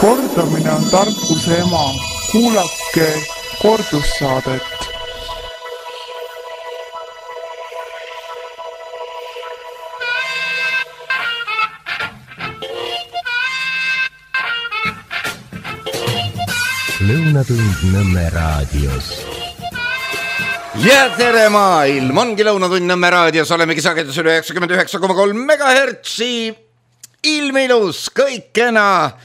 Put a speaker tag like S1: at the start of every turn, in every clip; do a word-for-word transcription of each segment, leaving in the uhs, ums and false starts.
S1: Kordamine on tarkuse ema. Kuulake kordussaadet.
S2: Lõunatund Nõmme raadios.
S3: Ja tere maailm, ongi Lõunatund Nõmme raadios, olemegi sagedus üle üheksakümmend üheksa koma kolm megahertsi. Ilmilus, kõik kena,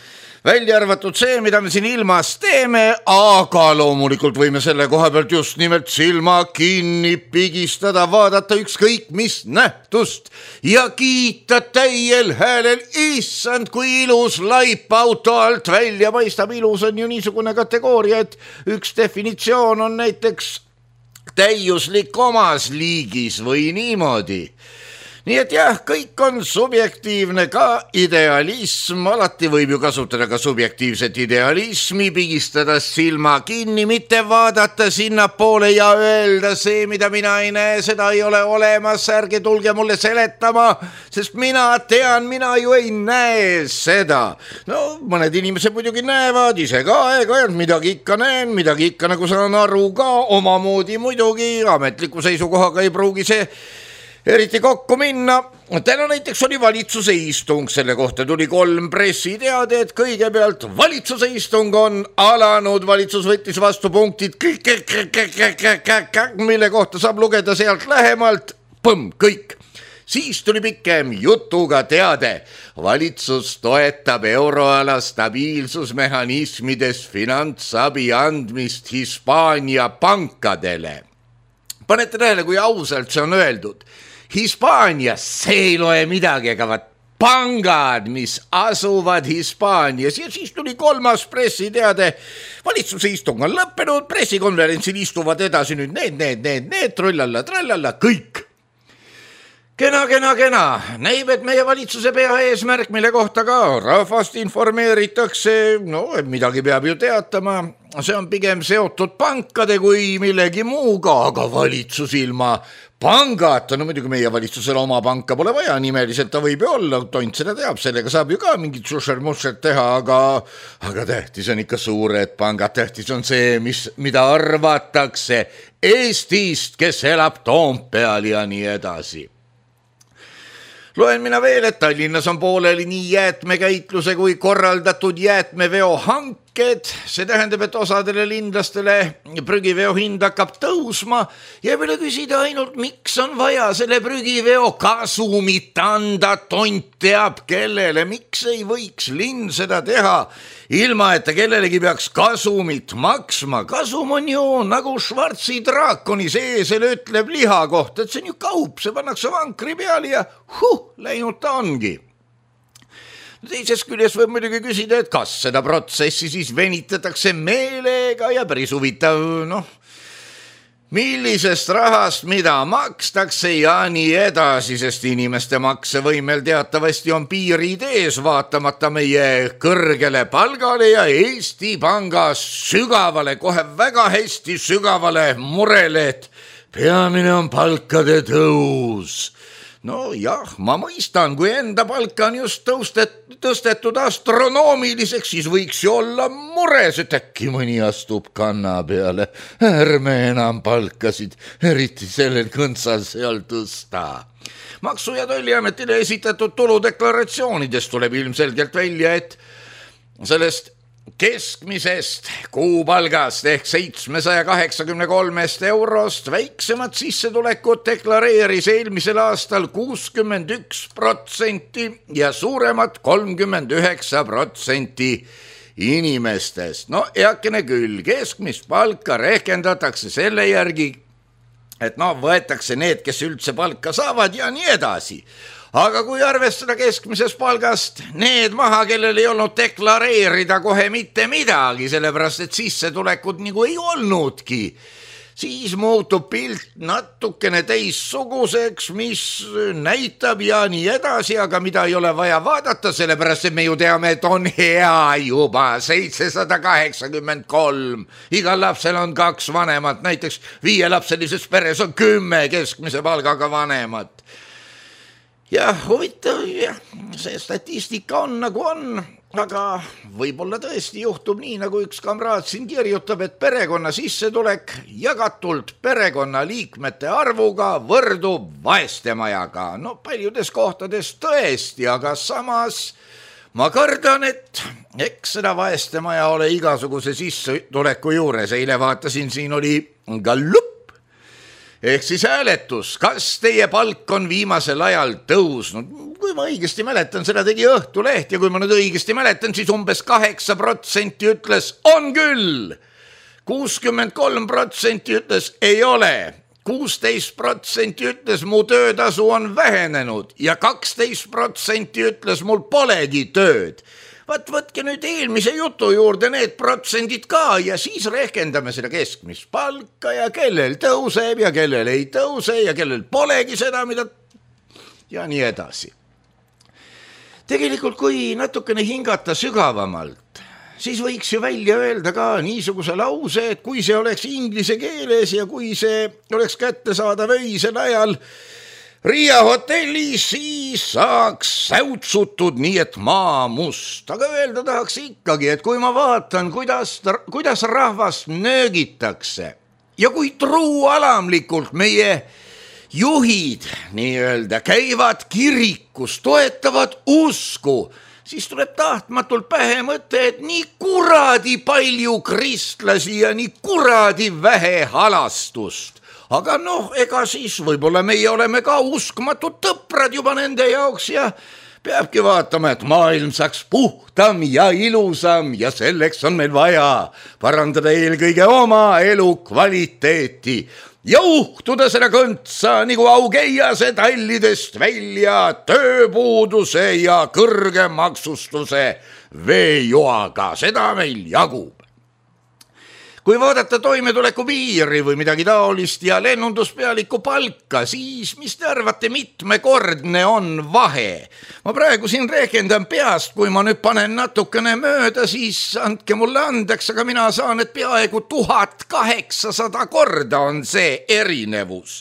S3: välja arvatud see, mida me siin ilmas teeme, aga loomulikult võime selle koha pealt just nimelt silma kinni pigistada, vaadata ükskõik mis nähtust ja kiita täiel häälel, issand, kui ilus laip auto alt välja paistab. Ilus on ju niisugune kategooria, et üks definitsioon on näiteks täiuslik omas liigis või niimoodi. Nii et jah, kõik on subjektiivne, ka idealism, alati võib ju kasutada ka subjektiivset idealismi, pigistada silma kinni, mitte vaadata sinna poole ja öelda see, mida mina ei näe, seda ei ole olemas, ärge tulge mulle seletama, sest mina tean, mina ju ei näe seda. No mõned inimesed muidugi näevad, ise ka aeg-ajalt, midagi ikka näen, midagi ikka nagu saan aru ka, omamoodi muidugi, ametliku seisukohaga ei pruugi see eriti kokku minna. Täna näiteks oli valitsuse istung, selle kohta tuli kolm pressiteade, et kõigepealt valitsuse istung on alanud, valitsus võttis vastu punktid, mille kohta saab lugeda sealt lähemalt, põmm, kõik. Siis tuli pikem jutuga teade, valitsus toetab euroala stabiilsusmehhanismides finantsabi andmist Hispaania pankadele. Panete tähele, kui ausalt see on öeldud. Hispaanias see ei loe midagi, aga vaat pangad, mis asuvad Hispaanias. Ja siis tuli kolmas pressiteade. Valitsuse istung on lõppenud, pressikonverentsil istuvad edasi nüüd need, need, need, need, trullalla, trallalla, kõik. Kena, kena, kena. Näib, et meie valitsuse pea eesmärk, mille kohta ka rahvast informeeritakse, no midagi peab ju teatama. See on pigem seotud pankade kui millegi muuga, aga valitsus ilma pangata, no muidugi meie valitsusele oma panka pole vaja, nimeliselt ta võib ju olla, tont seda teab, sellega saab ju ka mingit sušer-musher teha, aga, aga tähtis on ikka suured pangad, tähtis on see, mis, mida arvatakse Eestist, kes elab Toompeal ja nii edasi. Loen mina veel, et Tallinnas on pooleli nii jäätmekäitluse kui korraldatud jäätmeveo hanked. See tähendab, et osadele linlastele prügiveo hind hakkab tõusma ja võime küsida ainult, miks on vaja selle prügiveo kasumit anda, tont teab kellele, miks ei võiks linn seda teha, ilma et ta kellelegi peaks kasumit maksma. Kasum on ju nagu Schwarzi draakoni seesel ütleb liha kohta, et see on ju kaup, see pannakse vankri peale ja huh, läinud ta ongi. Teises küljes võib muidugi küsida, et kas seda protsessi siis venitatakse meelega ja päris huvitav, noh, millisest rahast mida makstakse ja nii edasi, sest inimeste maksevõimel teatavasti on piirid ees vaatamata meie kõrgele palgale ja Eesti Panga sügavale, kohe väga hästi sügavale murele, et peamine on palkade tõus. No jah, ma mõistan, kui enda palka on just tõustet, tõstetud astronoomiliseks, siis võiks ju olla mures, et äkki mõni astub kanna peale. Ärme enam palkasid, eriti sellel kõntsal seal tõsta. Maksu- ja Tolliametile esitatud tuludeklaratsioonidest tuleb ilmselgelt välja, et sellest keskmisest kuupalgast ehk seitsmesaja kaheksakümne kolmest eurost väiksemat sissetulekut deklareeris eelmisel aastal kuuskümmend üks protsenti ja suuremat kolmkümmend üheksa protsenti inimestest. No eakene küll, keskmist palka rehkendatakse selle järgi, et no võetakse need, kes üldse palka saavad ja nii edasi. Aga kui arvestada keskmisest palgast need maha, kellel ei olnud deklareerida kohe mitte midagi, sellepärast et sissetulekud nagu ei olnudki, siis muutub pilt natukene teissuguseks, mis näitab ja nii edasi, aga mida ei ole vaja vaadata, sellepärast et me ju teame, et on hea juba seitsesada kaheksakümmend kolm. Igal lapsel on kaks vanemat, näiteks viielapselises peres on kümme keskmise palgaga vanemat. Ja huvitav, jah, see statistika on nagu on, aga võib-olla tõesti juhtub nii, nagu üks kamraad siin kirjutab, et perekonna sissetulek jagatult perekonnaliikmete arvuga võrdub vaestemajaga. No paljudes kohtades tõesti, aga samas ma kardan, et eks seda vaestemaja ole igasuguse sissetuleku juures. Eile vaatasin, siin oli gallup ehk siis hääletus, kas teie palk on viimasel ajal tõusnud. Kui ma õigesti mäletan, seda tegi Õhtuleht ja kui ma nüüd õigesti mäletan, siis umbes kaheksa protsenti ütles on küll, kuuskümmend kolm protsenti ütles ei ole, kuusteist protsenti ütles mu töötasu on vähenenud ja kaksteist protsenti ütles mul polegi tööd. Vaat võtke nüüd eelmise jutu juurde need protsendid ka ja siis rehkendame seda keskmist palka ja kellel tõuseb ja kellel ei tõuse ja kellel polegi seda, mida ja nii edasi. Tegelikult, kui natukene hingata sügavamalt, siis võiks ju välja öelda ka niisuguse lause, et kui see oleks inglise keeles ja kui see oleks kättesaadav öisel ajal Riia hotellis, siis saaks säutsutud nii, et maa must. Aga öelda tahaks ikkagi, et kui ma vaatan, kuidas, kuidas rahvast nöögitakse ja kui truualamlikult meie juhid nii-öelda käivad kirikus, toetavad usku, siis tuleb tahtmatult pähe mõte, et nii kuradi palju kristlasi ja nii kuradi vähe halastust. Aga noh, ega siis võib-olla meie oleme ka uskmatud tõprad juba nende jaoks ja peabki vaatama, et maailm saaks puhtam ja ilusam ja selleks on meil vaja parandada eelkõige oma elu kvaliteeti ja uhtuda seda kõntsa nagu augeiase tallidest välja tööpuuduse ja kõrge maksustuse veejoaga. Seda meil jagub. Kui vaadata toimetuleku piiri või midagi taolist ja lennunduspealiku palka, siis mis te arvate, mitmekordne on vahe? Ma praegu siin rehkendan peast, kui ma nüüd panen natukene mööda, siis andke mulle andeks, aga mina saan, et peaaegu tuhat kaheksasada korda on see erinevus.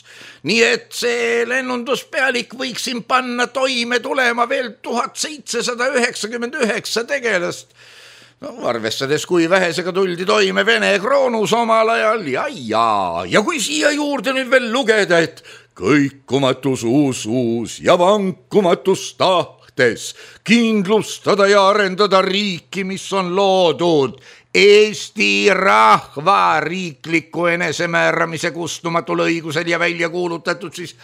S3: Nii et see lennunduspealik võiks siin panna toime tulema veel tuhat seitsesada üheksakümmend üheksa tegelast. No, arvestades, kui vähesega tuldi toime Vene kroonus omal ajal ja, ja, ja kui siia juurde nüüd veel lugeda, et kõikumatus usus ja vankumatus tahtes kindlustada ja arendada riiki, mis on loodud Eesti rahva riikliku enesemääramise kustumatul õigusel ja välja kuulutatud siis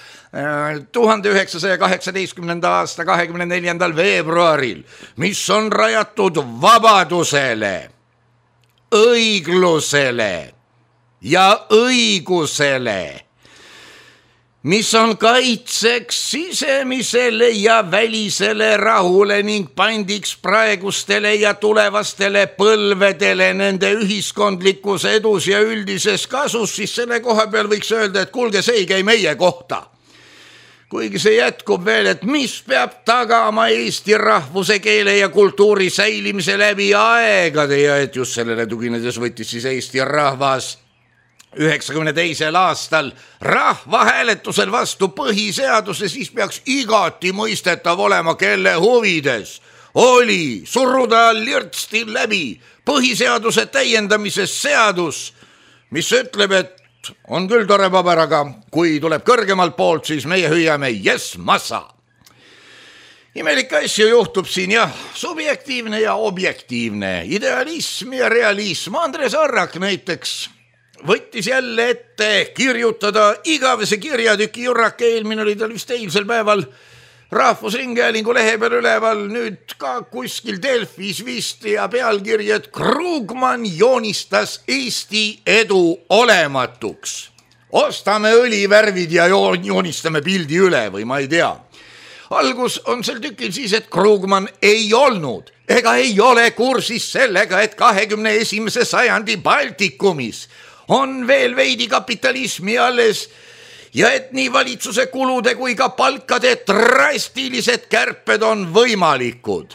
S3: tuhande üheksasaja kaheksateistkümnenda aasta kahekümne neljandal veebruaril, mis on rajatud vabadusele, õiglusele ja õigusele, mis on kaitseks sisemisele ja välisele rahule ning pandiks praegustele ja tulevastele põlvedele nende ühiskondlikus edus ja üldises kasus, siis selle koha peal võiks öelda, et kuulge, see ei käi meie kohta. Kuigi see jätkub veel, et mis peab tagama Eesti rahvuse, keele ja kultuuri säilimise läbi aegade ja et just sellele tuginedes võttis siis Eesti rahvas üheksakümne teisel aastal rahvahääletusel vastu põhiseaduse, siis peaks igati mõistetav olema, kelle huvides oli suruda lirtsti läbi põhiseaduse täiendamises seadus, mis ütleb, et on küll tore paber, aga kui tuleb kõrgemalt poolt, siis meie hüüame yes massa. Imelik asju juhtub siin jah, subjektiivne ja objektiivne, idealism ja realism. Andres Arrak näiteks võttis jälle ette kirjutada igavese kirjatüki jurrake, eelmine oli tal vist eilsel päeval Rahvusringhäälingu lehe peal üleval, nüüd ka kuskil Delfis vist ja pealkiri, et Krugman joonistas Eesti edu olematuks. Ostame õlivärvid ja joonistame pildi üle või ma ei tea. Algus on sel tükil siis, et Krugman ei olnud ega ei ole kursis sellega, et kahekümne esimese sajandi Baltikumis on veel veidi kapitalismi alles ja et nii valitsuse kulude kui ka palkade drastilised kärped on võimalikud.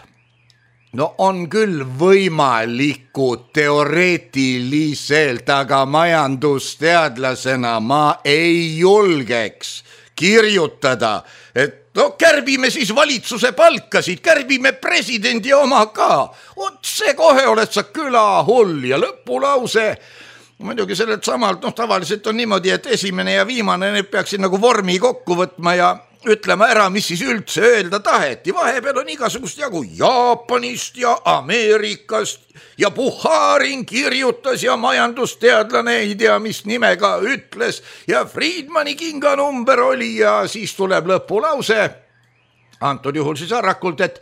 S3: No on küll võimalikud teoreetiliselt, aga majandusteadlasena ma ei julgeks kirjutada, et no kärbime siis valitsuse palkasid, kärbime presidendi oma ka. Otse kohe oled sa külahull ja lõpulause. Muidugi sellelt samalt, noh tavaliselt on niimoodi, et esimene ja viimane need peaksid nagu vormi kokku võtma ja ütlema ära, mis siis üldse öelda taheti. Vahepeal on igasugust jagu Jaapanist ja Ameerikast ja Puharin kirjutas ja majandusteadlane ei tea, mis nimega ütles ja Friedmani kinganumber oli ja siis tuleb lõpulause. Antud juhul siis Arrakult, et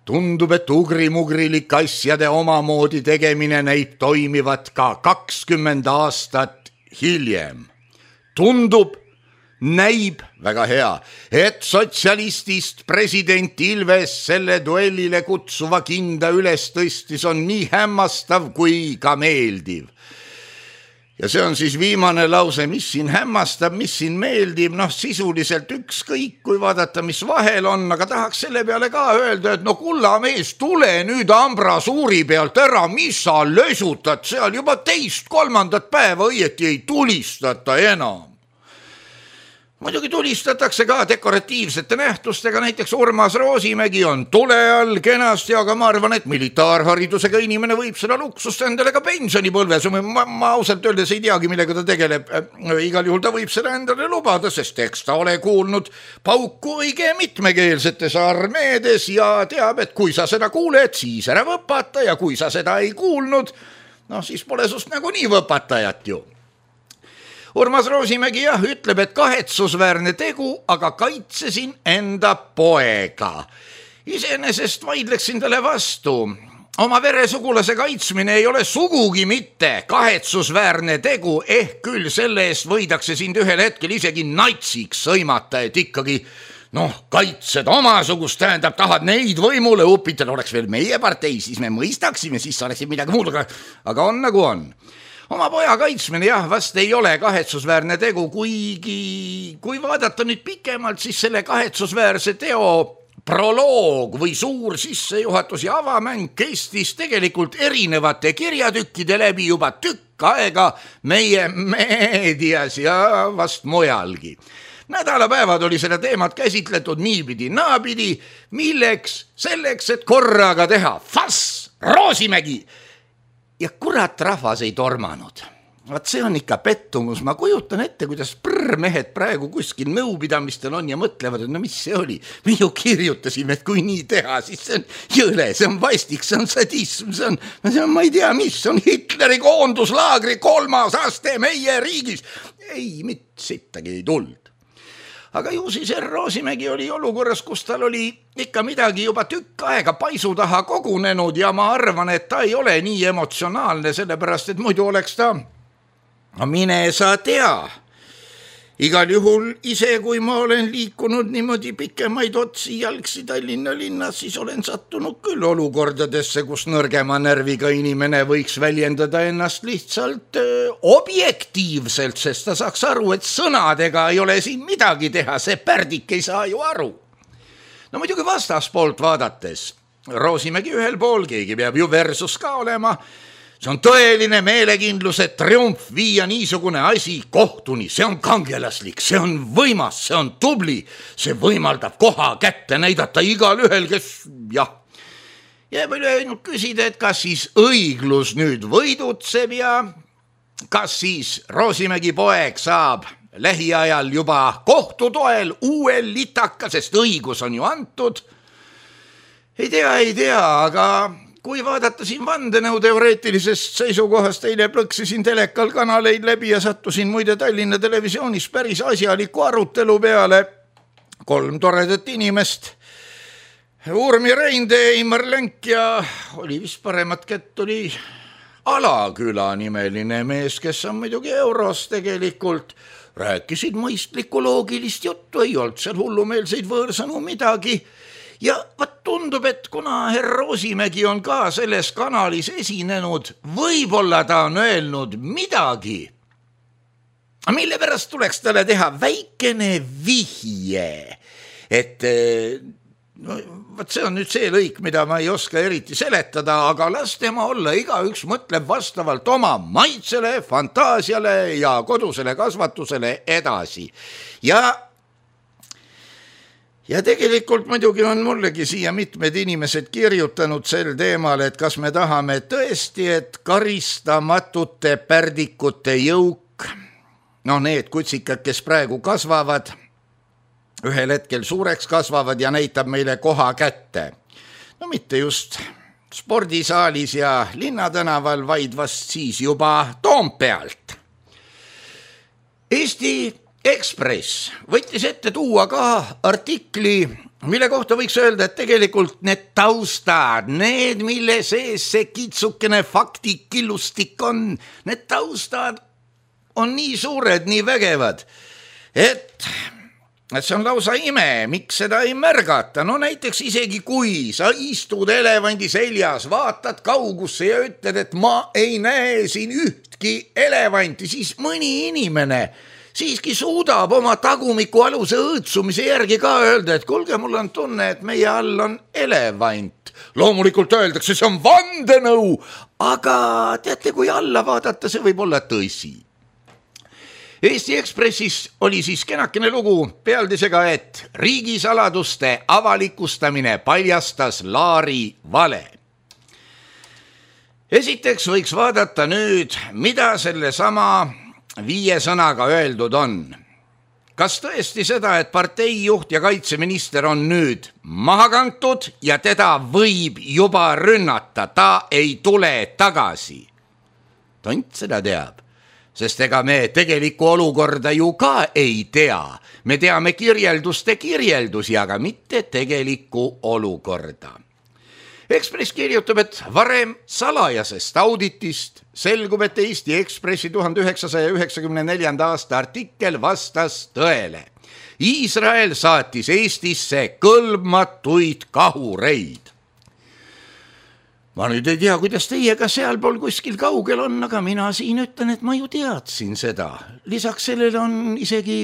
S3: tundub, et ugrimugrilik asjade omamoodi tegemine näib toimivat ka kakskümmend aastat hiljem. Tundub, näib väga hea, et sotsialistist president Ilves selle duellile kutsuva kinda üles tõstis on nii hämmastav kui ka meeldiv. Ja see on siis viimane lause, mis siin hämmastab, mis siin meeldib, noh sisuliselt ükskõik, kui vaadata, mis vahel on, aga tahaks selle peale ka öelda, et no kulla mees, tule nüüd ambrasuuri pealt ära, mis sa lösutad seal juba teist kolmandat päeva õieti ei tulistata enam. Muidugi tulistatakse ka dekoratiivsete nähtustega, näiteks Urmas Roosimägi on tule all kenasti, aga ma arvan, et militaarharidusega inimene võib seda luksust endale ka pensionipõlves. Ma, ma ausalt öeldes ei teagi, millega ta tegeleb. Igal juhul ta võib seda endale lubada, sest eks ta ole kuulnud pauku õige mitmekeelsetes armeedes ja teab, et kui sa seda kuuled, siis ära võpata ja kui sa seda ei kuulnud, noh siis pole sust nagu nii võpatajat ju. Urmas Roosimägi jah, ütleb, et kahetsusväärne tegu, aga kaitsesin enda poega. Iseenesest vaidleksin talle vastu. Oma veresugulase kaitsmine ei ole sugugi mitte kahetsusväärne tegu, ehk küll selle eest võidakse sind ühel hetkel isegi natsiks sõimata, et ikkagi noh, kaitsed omasugust, tähendab, tahad neid võimule upitada, oleks veel meie partei, siis me mõistaksime, siis sa oleksid midagi muud, aga on nagu on. Oma poja kaitsmine jah, vast ei ole kahetsusväärne tegu, kuigi kui vaadata nüüd pikemalt, siis selle kahetsusväärse teo proloog või suur sissejuhatus ja avamäng kestis tegelikult erinevate kirjatükkide läbi juba tükk aega meie meedias ja vast mujalgi. Nädalapäevad oli seda teemat käsitletud niipidi naapidi, milleks selleks, et korraga teha fass, Roosimägi. Ja kurat rahvas ei tormanud. Vaat see on ikka pettumus. Ma kujutan ette, kuidas prrmehed praegu kuskil nõupidamistel on ja mõtlevad, et no mis see oli. Me ju kirjutasime, et kui nii teha, siis see on jõle, see on vastik, see on sadism, see on, see on ma ei tea mis, see on Hitleri koonduslaagri kolmas aste meie riigis. Ei, mitte sittagi ei tuld. Aga ju siis R. Roosimägi oli olukorras, kus tal oli ikka midagi juba tükk aega paisu taha kogunenud ja ma arvan, et ta ei ole nii emotsionaalne, sellepärast, et muidu oleks ta, no mine sa tea. Igal juhul ise, kui ma olen liikunud niimoodi pikemaid otsi jalgsi Tallinna linnas, siis olen sattunud küll olukordadesse, kus nõrgema närviga inimene võiks väljendada ennast lihtsalt öö, objektiivselt, sest ta saaks aru, et sõnadega ei ole siin midagi teha, see pärdik ei saa ju aru. No muidugi vastaspoolt vaadates, Roosimägi ühel pool, keegi peab ju versus ka olema, see on tõeline meelekindluse triumf viia niisugune asi kohtuni, see on kangelaslik, see on võimas, see on tubli, see võimaldab koha kätte näidata igal ühel, kes jah. Jääb üle ainult küsida, et kas siis õiglus nüüd võidutseb ja kas siis Roosimägi poeg saab lähiajal juba kohtutoel uuel litaka, sest õigus on ju antud. Ei tea, ei tea, aga kui vaadata siin vandenõu teoreetilisest seisukohast, eile plõksisin telekal kanaleid läbi ja sattusin muide Tallinna televisioonis päris asjaliku arutelu peale. Kolm toredat inimest, Urmi Reindee, Eimar Länk ja oli vist paremat kätt oli Alaküla nimeline mees, kes on muidugi euros tegelikult. Rääkisid mõistlikku loogilist juttu, ei olnud seal hullumeelseid võõrsõnu midagi. Ja vaat tundub, et kuna herr Roosimägi on ka selles kanalis esinenud, võib-olla ta on öelnud midagi, mille pärast tuleks talle teha väikene vihje, et no, vaat see on nüüd see lõik, mida ma ei oska eriti seletada, aga las tema olla, igaüks mõtleb vastavalt oma maitsele, fantaasiale ja kodusele kasvatusele edasi. Ja ja tegelikult muidugi on mullegi siia mitmed inimesed kirjutanud sel teemal, et kas me tahame tõesti, et karistamatute pärdikute jõuk, no need kutsikad, kes praegu kasvavad, ühel hetkel suureks kasvavad ja näitab meile koha kätte. No mitte just spordisaalis ja Linnatänaval, vaid vast siis juba Toompealt. Eesti Ekspress võttis ette tuua ka artikli, mille kohta võiks öelda, et tegelikult need taustad, need, mille sees see kitsukene faktikillustik on, need taustad on nii suured, nii vägevad, et et see on lausa ime, miks seda ei märgata. No näiteks isegi kui sa istud elevandi seljas, vaatad kaugusse ja ütled, et ma ei näe siin ühtki elevanti, siis mõni inimene siiski suudab oma tagumiku aluse õõtsumise järgi ka öelda, et kuulge, mul on tunne, et meie all on elevant. Loomulikult öeldakse, see on vandenõu, aga teate, kui alla vaadata, see võib olla tõsi. Eesti Ekspressis oli siis kenakene lugu pealdisega, et riigisaladuste avalikustamine paljastas Laari vale. Esiteks võiks vaadata nüüd, mida selle sama viie sõnaga öeldud on. Kas tõesti seda, et parteijuht ja kaitseminister on nüüd maha kantud ja teda võib juba rünnata, ta ei tule tagasi? Tont seda teab. Sest ega me tegelikku olukorda ju ka ei tea. Me teame kirjelduste kirjeldusi, aga mitte tegelikku olukorda. Ekspress kirjutab, et varem salajasest auditist selgub, et Eesti Ekspressi tuhande üheksasaja üheksakümne neljanda aasta artikkel vastas tõele. Iisrael saatis Eestisse kõlbmatuid kahureid. Ma nüüd ei tea, kuidas teiega sealpool kuskil kaugel on, aga mina siin ütlen, et ma ju teadsin seda. Lisaks sellele on isegi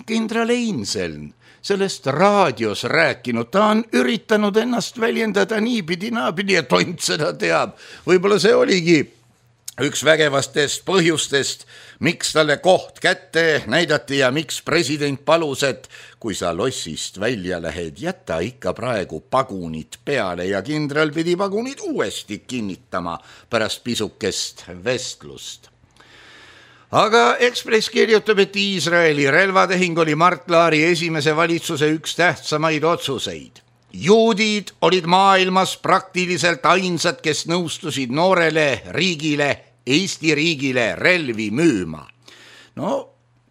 S3: kindral Einseln sellest raadios rääkinud. Ta on üritanud ennast väljendada niipidi, naapidi ja tont seda teab. Võib-olla see oligi üks vägevastest põhjustest, miks talle koht kätte näidati ja miks president palus, et kui sa lossist välja lähed, jätta ikka praegu pagunid peale ja kindral pidi pagunid uuesti kinnitama pärast pisukest vestlust. Aga Ekspress kirjutab, et Iisraeli relvatehing oli Mart Laari esimese valitsuse üks tähtsamaid otsuseid. Juudid olid maailmas praktiliselt ainsad, kes nõustusid noorele riigile, Eesti riigile relvi müüma. No,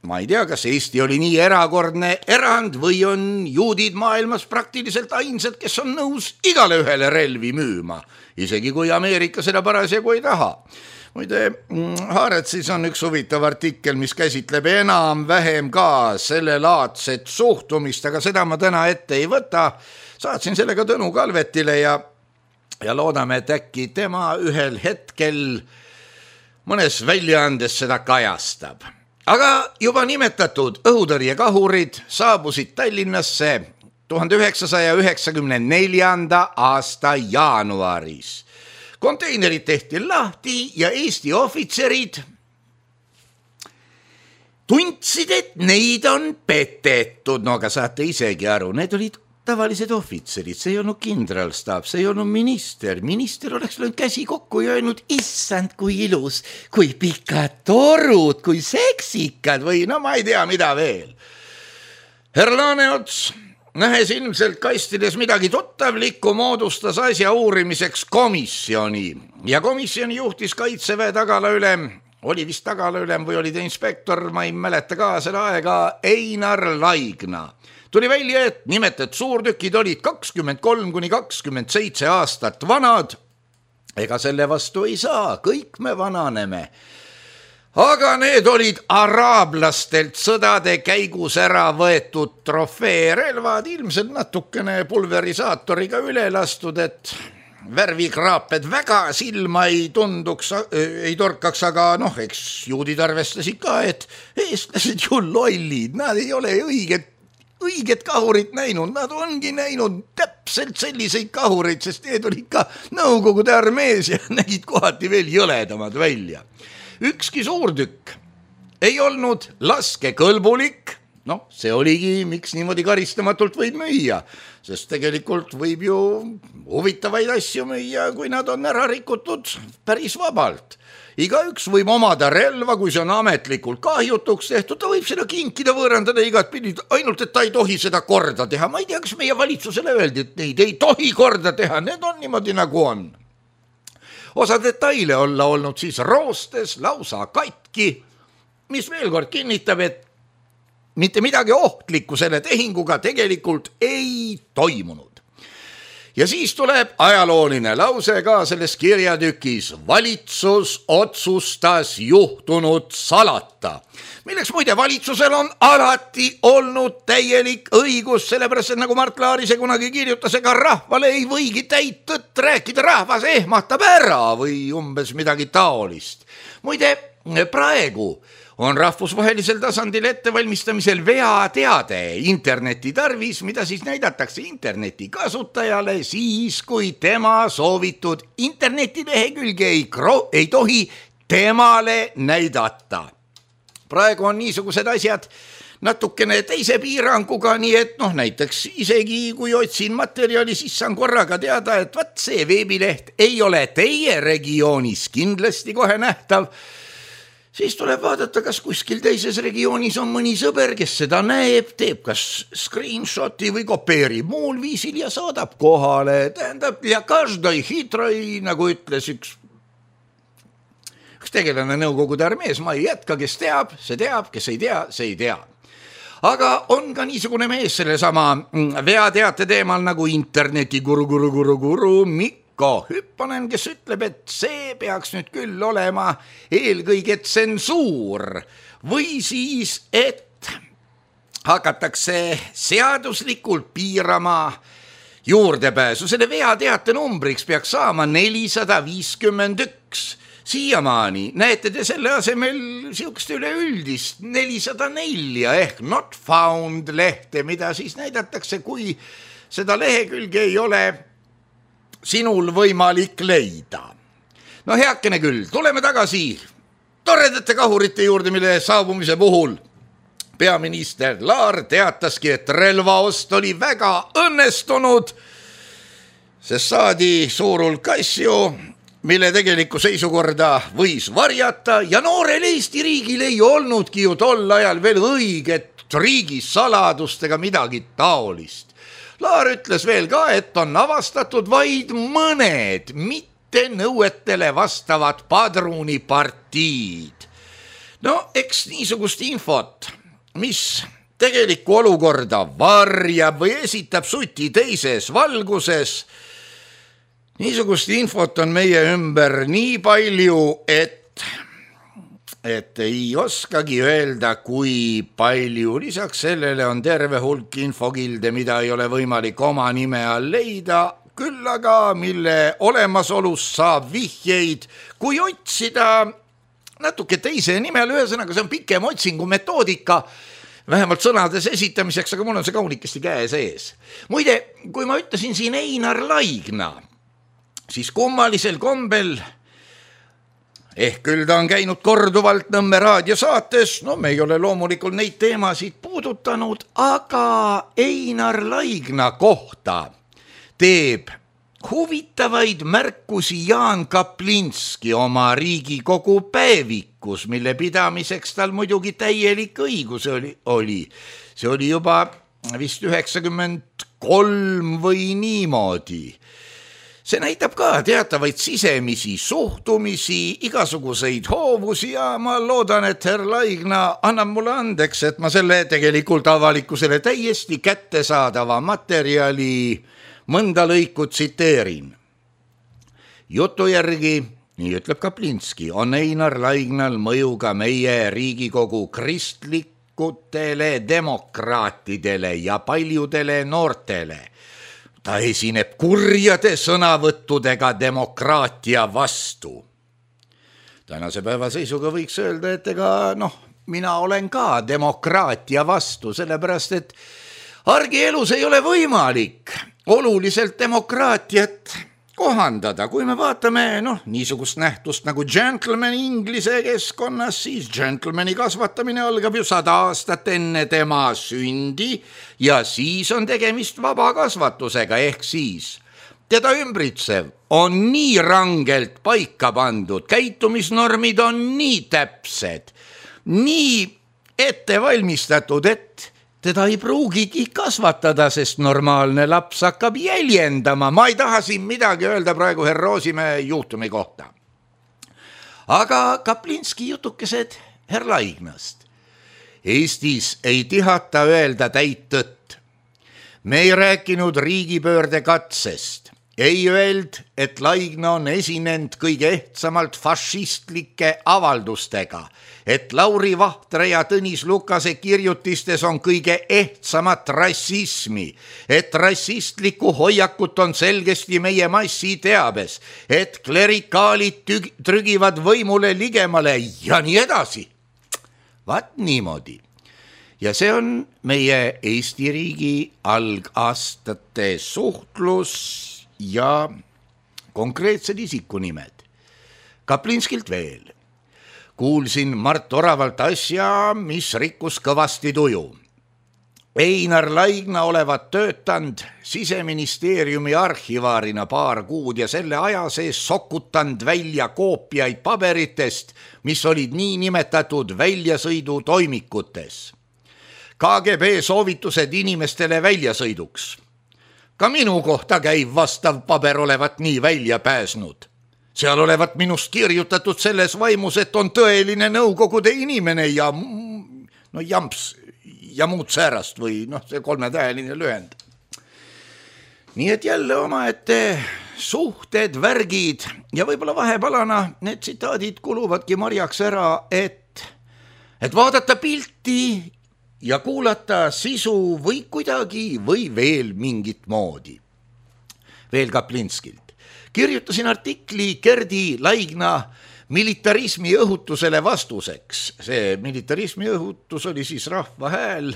S3: ma ei tea, kas Eesti oli nii erakordne erand või on juudid maailmas praktiliselt ainsad, kes on nõus igale ühele relvi müüma, isegi kui Ameerika seda parasjagu ei taha. Muide, Haaretsis on üks huvitav artikkel, mis käsitleb enam-vähem ka selle laadset suhtumist, aga seda ma täna ette ei võta. Saatsin sellega Tõnu Kalvetile ja, ja loodame, et äkki tema ühel hetkel mõnes väljaandes seda kajastab. Aga juba nimetatud õhutõrjekahurid saabusid Tallinnasse tuhande üheksasaja üheksakümne neljanda aasta jaanuaris. Konteinerid tehti lahti ja Eesti ohvitserid tundsid, et neid on petetud. No aga saate isegi aru, need olid tavalised ohvitserid, see ei olnud kindralstaab, see ei olnud minister. Minister oleks löönud käsi kokku ja öelnud, issand, kui ilus, kui pikad torud, kui seksikad või no ma ei tea, mida veel. Herr Laaneots, nähes ilmselt kastides midagi tuttavlikku, moodustas asja uurimiseks komisjoni ja komisjoni juhtis Kaitseväe tagalaülem, oli vist tagalaülem või oli ta inspektor, ma ei mäleta ka seda aega, Einar Laigna. Tuli välja, et nimetet suurtükid olid kakskümmend kolm kuni kakskümmend seitse aastat vanad. Ega selle vastu ei saa, kõik me vananeme. Aga need olid araablastelt sõdade käigus ära võetud trofeerelvad, ilmselt natukene pulverisaatoriga üle lastud, et värvikraaped väga silma ei tunduks, ei torkaks, aga noh, eks juudid arvestasid ka, et eestlased ju lollid, nad ei ole õiged õiget kahurit näinud, nad ongi näinud täpselt selliseid kahureid, sest need olid ka Nõukogude armees ja nägid kohati veel jõledamad välja. Ükski suurtükk ei olnud laskekõlbulik noh, see oligi, miks niimoodi karistamatult võib müüa, sest tegelikult võib ju huvitavaid asju müüa, kui nad on ära rikutud päris vabalt. Igaüks võib omada relva, kui see on ametlikult kahjutuks tehtud, ta võib seda kinkida, võõrandada igat pidi, ainult et ta ei tohi seda korda teha. Ma ei tea, kas meie valitsusele öeldi, et neid ei tohi korda teha, need on niimoodi nagu on. Osa detaile olla olnud siis roostes, lausa katki, mis veel kord kinnitab, et mitte midagi ohtlikku selle tehinguga tegelikult ei toimunud. Ja siis tuleb ajalooline lause ka selles kirjatükis. Valitsus otsustas juhtunud salata, milleks muide valitsusel on alati olnud täielik õigus, sellepärast et nagu Mart Laarise kunagi kirjutas, ega rahvale ei võigi täit tõtt rääkida, rahvas ehmatab ära või umbes midagi taolist. Muide, praegu on rahvusvahelisel tasandil ettevalmistamisel veateade interneti tarvis, mida siis näidatakse interneti kasutajale siis, kui tema soovitud internetilehekülge ei, kro- ei tohi temale näidata. Praegu on niisugused asjad natukene teise piiranguga, nii et noh, näiteks isegi kui otsin materjali, siis saan korraga teada, et vat see veebileht ei ole teie regioonis kindlasti kohe nähtav. Siis tuleb vaadata, kas kuskil teises regioonis on mõni sõber, kes seda näeb, teeb kas screenshoti või kopeerib muul viisil ja saadab kohale. Tähendab, ja každai hitroi, nagu ütles üks, üks tegelane Nõukogude armees, ma ei jätka, kes teab, see teab, kes ei tea, see ei tea. Aga on ka niisugune mees selle sama veateate teemal nagu interneti guru, guru, guru, guru, Mikko Hüpponen, kes ütleb, et see peaks nüüd küll olema eelkõige tsensuur või siis, et hakatakse seaduslikult piirama juurdepääsu. Selle veateate numbriks peaks saama nelisada viiskümmend üks. Siiamaani näete te selle asemel siukest üleüldist nelisada neli ehk not found lehte, mida siis näidatakse, kui seda lehekülge ei ole sinul võimalik leida. No heakene küll, tuleme tagasi toredate kahurite juurde, mille saabumise puhul peaminister Laar teataski, et relvaost oli väga õnnestunud, sest saadi suur hulk asju, mille tegelikku seisukorda võis varjata ja noorel Eesti riigil ei olnudki ju tol ajal veel õiget riigisaladustega midagi taolist. Laar ütles veel ka, et on avastatud vaid mõned mitte nõuetele vastavad padrunipartiid. No eks niisugust infot, mis tegelikku olukorda varjab või esitab suti teises valguses, niisugust infot on meie ümber nii palju, et et ei oskagi öelda, kui palju. Lisaks sellele on terve hulk infokilde, mida ei ole võimalik oma nime all leida, küll aga mille olemasolust saab vihjeid, kui otsida natuke teise nimel. Ühesõnaga, see on pikem otsingu metoodika, vähemalt sõnades esitamiseks, aga mul on see kaunikesti käe sees. Muide, kui ma ütlesin siin Einar Laigna, siis kummalisel kombel, ehk küll ta on käinud korduvalt Nõmme raadiosaates, no me ei ole loomulikult neid teemasid puudutanud, aga Einar Laigna kohta teeb huvitavaid märkusi Jaan Kaplinski oma Riigikogu päevikus, mille pidamiseks tal muidugi täielik õigus oli. oli. See oli juba vist üheksakümmend kolm või niimoodi. See näitab ka teatavaid sisemisi suhtumisi, igasuguseid hoovusi ja ma loodan, et herr Laigna annab mulle andeks, et ma selle tegelikult avalikkusele täiesti kättesaadava materjali mõnda lõiku tsiteerin. Jutu järgi, nii ütleb Kaplinski, on Einar Laignal mõju ka meie Riigikogu kristlikutele demokraatidele ja paljudele noortele. Ta esineb kurjade sõnavõttudega demokraatia vastu. Tänase päeva seisuga võiks öelda, et ega noh, mina olen ka demokraatia vastu, sellepärast et argielus ei ole võimalik oluliselt demokraatiat kohandada, kui me vaatame noh, niisugust nähtust nagu gentleman inglise keskkonnas, siis gentlemani kasvatamine algab ju sada aastat enne tema sündi ja siis on tegemist vaba kasvatusega, ehk siis teda ümbritsev on nii rangelt paika pandud, käitumisnormid on nii täpsed, nii ette valmistatud, et teda ei pruugigi kasvatada, sest normaalne laps hakkab jäljendama. Ma ei taha siin midagi öelda praegu herr Roosimäe juhtumi kohta. Aga Kaplinski jutukesed herr Laignast. Eestis ei tihata öelda täit tõtt. Me ei rääkinud riigipöörde katsest. Ei öeld, et Laigna on esinenud kõige ehtsamalt fašistlike avaldustega, et Lauri Vahtre ja Tõnis Lukase kirjutistes on kõige ehtsamat rassismi, et rassistlikku hoiakut on selgesti meie massi teabes, et klerikaalid tüg- trügivad võimule ligemale ja nii edasi. Vaat niimoodi. Ja see on meie Eesti riigi algaastate suhtlus ja konkreetsed isikunimed. Kaplinskilt veel. Kuulsin Mart Oravalt asja, mis rikkus kõvasti tuju. Einar Laigna olevat töötanud Siseministeeriumi arhivaarina paar kuud ja selle aja sees sokutanud välja koopiaid paberitest, mis olid nii nimetatud väljasõidu toimikutes. K G B soovitused inimestele väljasõiduks. Ka minu kohta käib vastav paber olevat nii välja pääsnud. Seal olevat minust kirjutatud selles vaimus, et on tõeline nõukogude inimene ja no jamps ja muud säärast või noh, see kolmetäheline lühend. Nii et jälle omaette suhted, värgid ja võib-olla vahepalana need tsitaadid kuluvadki marjaks ära, et, et vaadata pilti ja kuulata sisu või kuidagi või veel mingit moodi. Veel Kaplinskilt. Kirjutasin artikli Gerdi Laigna militarismi õhutusele vastuseks. See militarismi õhutus oli siis Rahva Hääl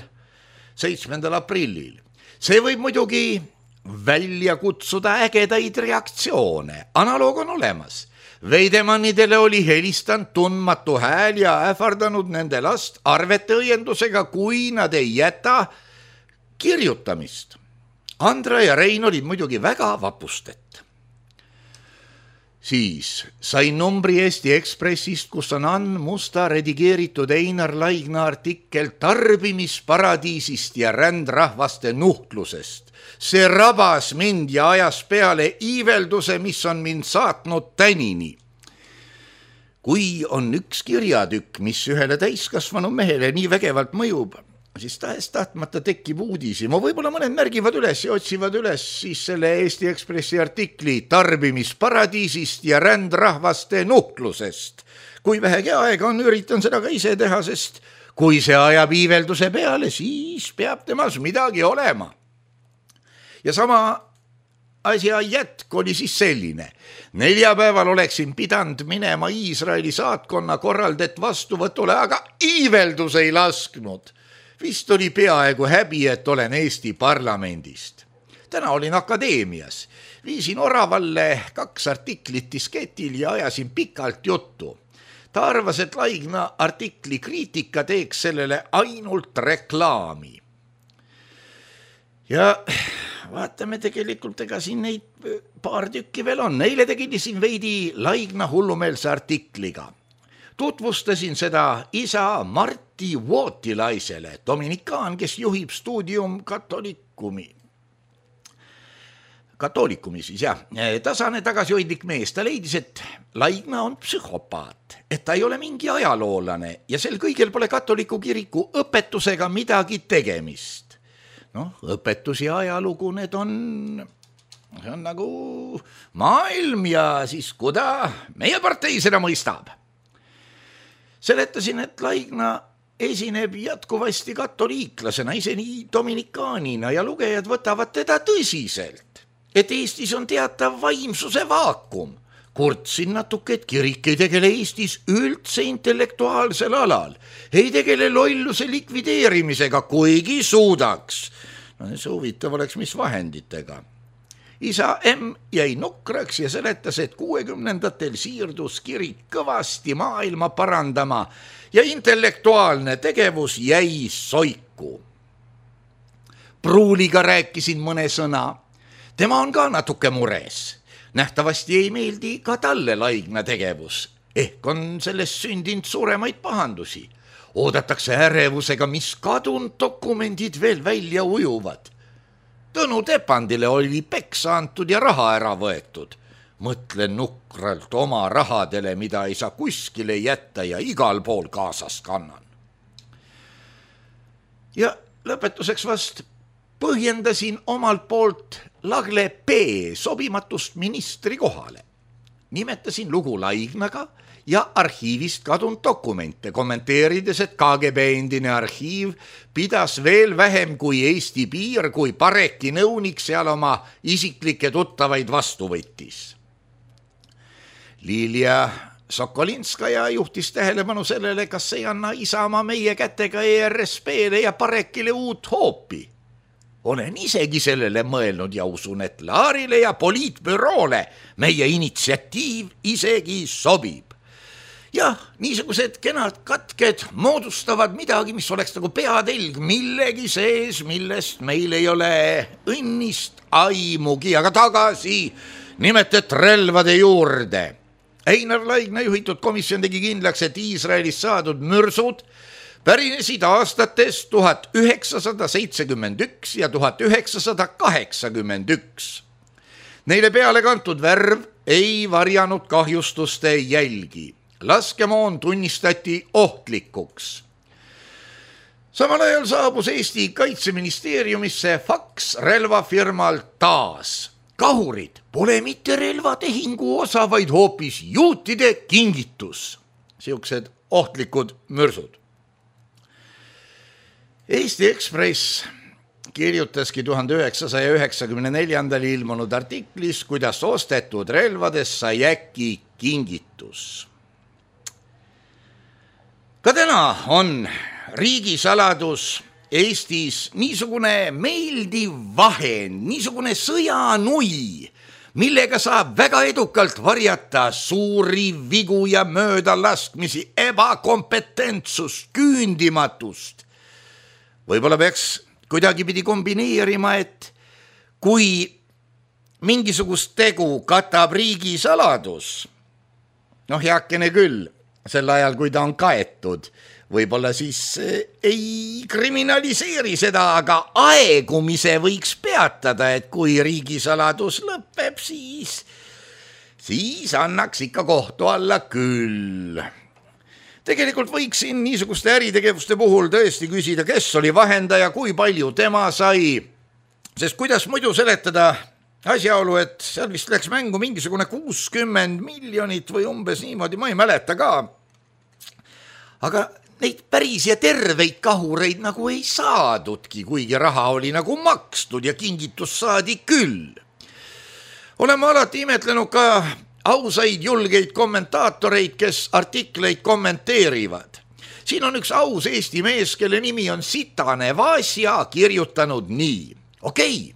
S3: seitsmendal aprillil. See võib muidugi välja kutsuda ägedaid reaktsioone. Analoog on olemas. Veidemannidele oli helistanud tundmatu hääl ja ähvardanud nende last arvete õiendusega, kui nad ei jäta kirjutamist. Andra ja Rein olid muidugi väga vapustet. Siis sain numbri Eesti Ekspressist, kus on Ann Musta redigeeritud Einar Laigna artikkel tarbimisparadiisist ja rändrahvaste nuhtlusest. See rabas mind ja ajas peale iivelduse, mis on mind saatnud tänini. Kui on üks kirjatükk, mis ühele täiskasvanu mehele nii vägevalt mõjub, siis tahes tahtmata tekib uudisi. Ma võib-olla mõned märgivad üles ja otsivad üles siis selle Eesti Ekspressi artikli tarbimisparadiisist ja rändrahvaste nuhtlusest. Kui vähegi aega on, üritan seda ka ise teha, sest kui see ajab iivelduse peale, siis peab temas midagi olema. Ja sama asja jätk oli siis selline. Neljapäeval oleksin pidanud minema Iisraeli saatkonna korraldet vastuvõtule, aga iiveldus ei lasknud. Vist oli peaaegu häbi, et olen Eesti parlamendist. Täna olin akadeemias. Viisin Oravalle kaks artiklit disketil ja ajasin pikalt juttu. Ta arvas, et Laigna artikli kriitika teeks sellele ainult reklaami. Ja vaatame tegelikult, ega siin neid paar tükki veel on. Neile tegilisin veidi Laigna hullumeelse artikliga. Tutvustasin seda isa Marti Vootilaisele, dominikaan, kes juhib stuudium katolikumi. Katolikumi siis, jah. Tasane tagasihoidlik mees. Ta leidis, et Laigna on psühhopaat, et ta ei ole mingi ajaloolane ja sel kõigel pole katoliku kiriku õpetusega midagi tegemist. Noh, õpetus ja ajalugu, need on, see on nagu maailm ja siis kuda meie partei seda mõistab. Seletasin, et Laigna esineb jätkuvasti katoliiklasena, ise nii dominikaanina ja lugejad võtavad teda tõsiselt, et Eestis on teatav vaimsuse vaakum. Kurtsin natuke, et kirik ei tegele Eestis üldse intellektuaalsel alal, ei tegele lolluse likvideerimisega, kuigi suudaks. No see huvitav oleks, mis vahenditega. isa M jäi nukraks ja seletas, et kuuekümnendatel siirdus kirik kõvasti maailma parandama ja intellektuaalne tegevus jäi soiku. Pruuliga rääkisin mõne sõna. Tema on ka natuke mures. Nähtavasti ei meeldi ka talle Laigna tegevus. Ehk on sellest sündinud suuremaid pahandusi. Oodatakse ärevusega, mis kadunud dokumendid veel välja ujuvad. Tõnu Tepandile oli peksa antud ja raha ära võetud. Mõtlen nukralt oma rahadele, mida ei saa kuskile jätta ja igal pool kaasas kannan. Ja lõpetuseks vast põhjendasin omalt poolt Lagle P sobimatust ministri kohale. Nimetasin lugu Laignaga ja arhiivist kadunud dokumente, kommenteerides, et K G B endine arhiiv pidas veel vähem kui Eesti piir, kui Pareki nõunik seal oma isiklikke tuttavaid vastu võttis. Lilia Sokolinskaja juhtis tähelepanu sellele, kas ei anna Isamaa meie kätega E R S P-le ja Parekile uut hoopi. Olen isegi sellele mõelnud ja usun, et Laarile ja poliitbüroole meie initsiatiiv isegi sobib. Jah, niisugused kenad katked moodustavad midagi, mis oleks nagu peatelg millegi sees, millest meil ei ole õnnist aimugi, aga tagasi nimetet relvade juurde. Einar Laigna juhitud komisjon tegi kindlaks, et Iisraelist saadud mürsud pärinesid aastatest tuhat üheksasada seitsekümmend üks ja tuhat üheksasada kaheksakümmend üks. Neile peale kantud värv ei varjanud kahjustuste jälgi. Laskemoon tunnistati ohtlikuks. Samal ajal saabus Eesti Kaitseministeeriumisse faks relvafirmalt taas. Kahurid pole mitte relvatehingu osa, vaid hoopis juutide kingitus. Siuksed ohtlikud mürsud. Eesti Ekspress kirjutaski tuhande üheksasaja üheksakümne neljandal ilmunud artiklis, kuidas ostetud relvades sai äkki kingitus. Ka täna on riigisaladus Eestis niisugune meeldiv vahend, niisugune sõjanui, millega saab väga edukalt varjata suuri vigu ja möödalaskmisi, ebakompetentsust, küündimatust. Võib-olla peaks kuidagipidi kombineerima, et kui mingisugust tegu katab riigisaladus, noh heakene küll, sel ajal, kui ta on kaetud, võib-olla siis ei kriminaliseeri seda, aga aegumise võiks peatada, et kui riigisaladus lõpeb, siis, siis annaks ikka kohtu alla küll. Tegelikult võiksin niisuguste äritegevuste puhul tõesti küsida, kes oli vahendaja, kui palju tema sai, sest kuidas muidu seletada asjaolu, et seal vist läks mängu mingisugune kuuskümmend miljonit või umbes niimoodi, ma ei mäleta ka. Aga neid päris ja terveid kahureid nagu ei saadudki, kuigi raha oli nagu makstud ja kingitus saadi küll. Oleme alati imetlenud ka ausaid julgeid kommentaatoreid, kes artikleid kommenteerivad. Siin on üks aus Eesti mees, kelle nimi on Sitane Vasja, kirjutanud nii. Okei,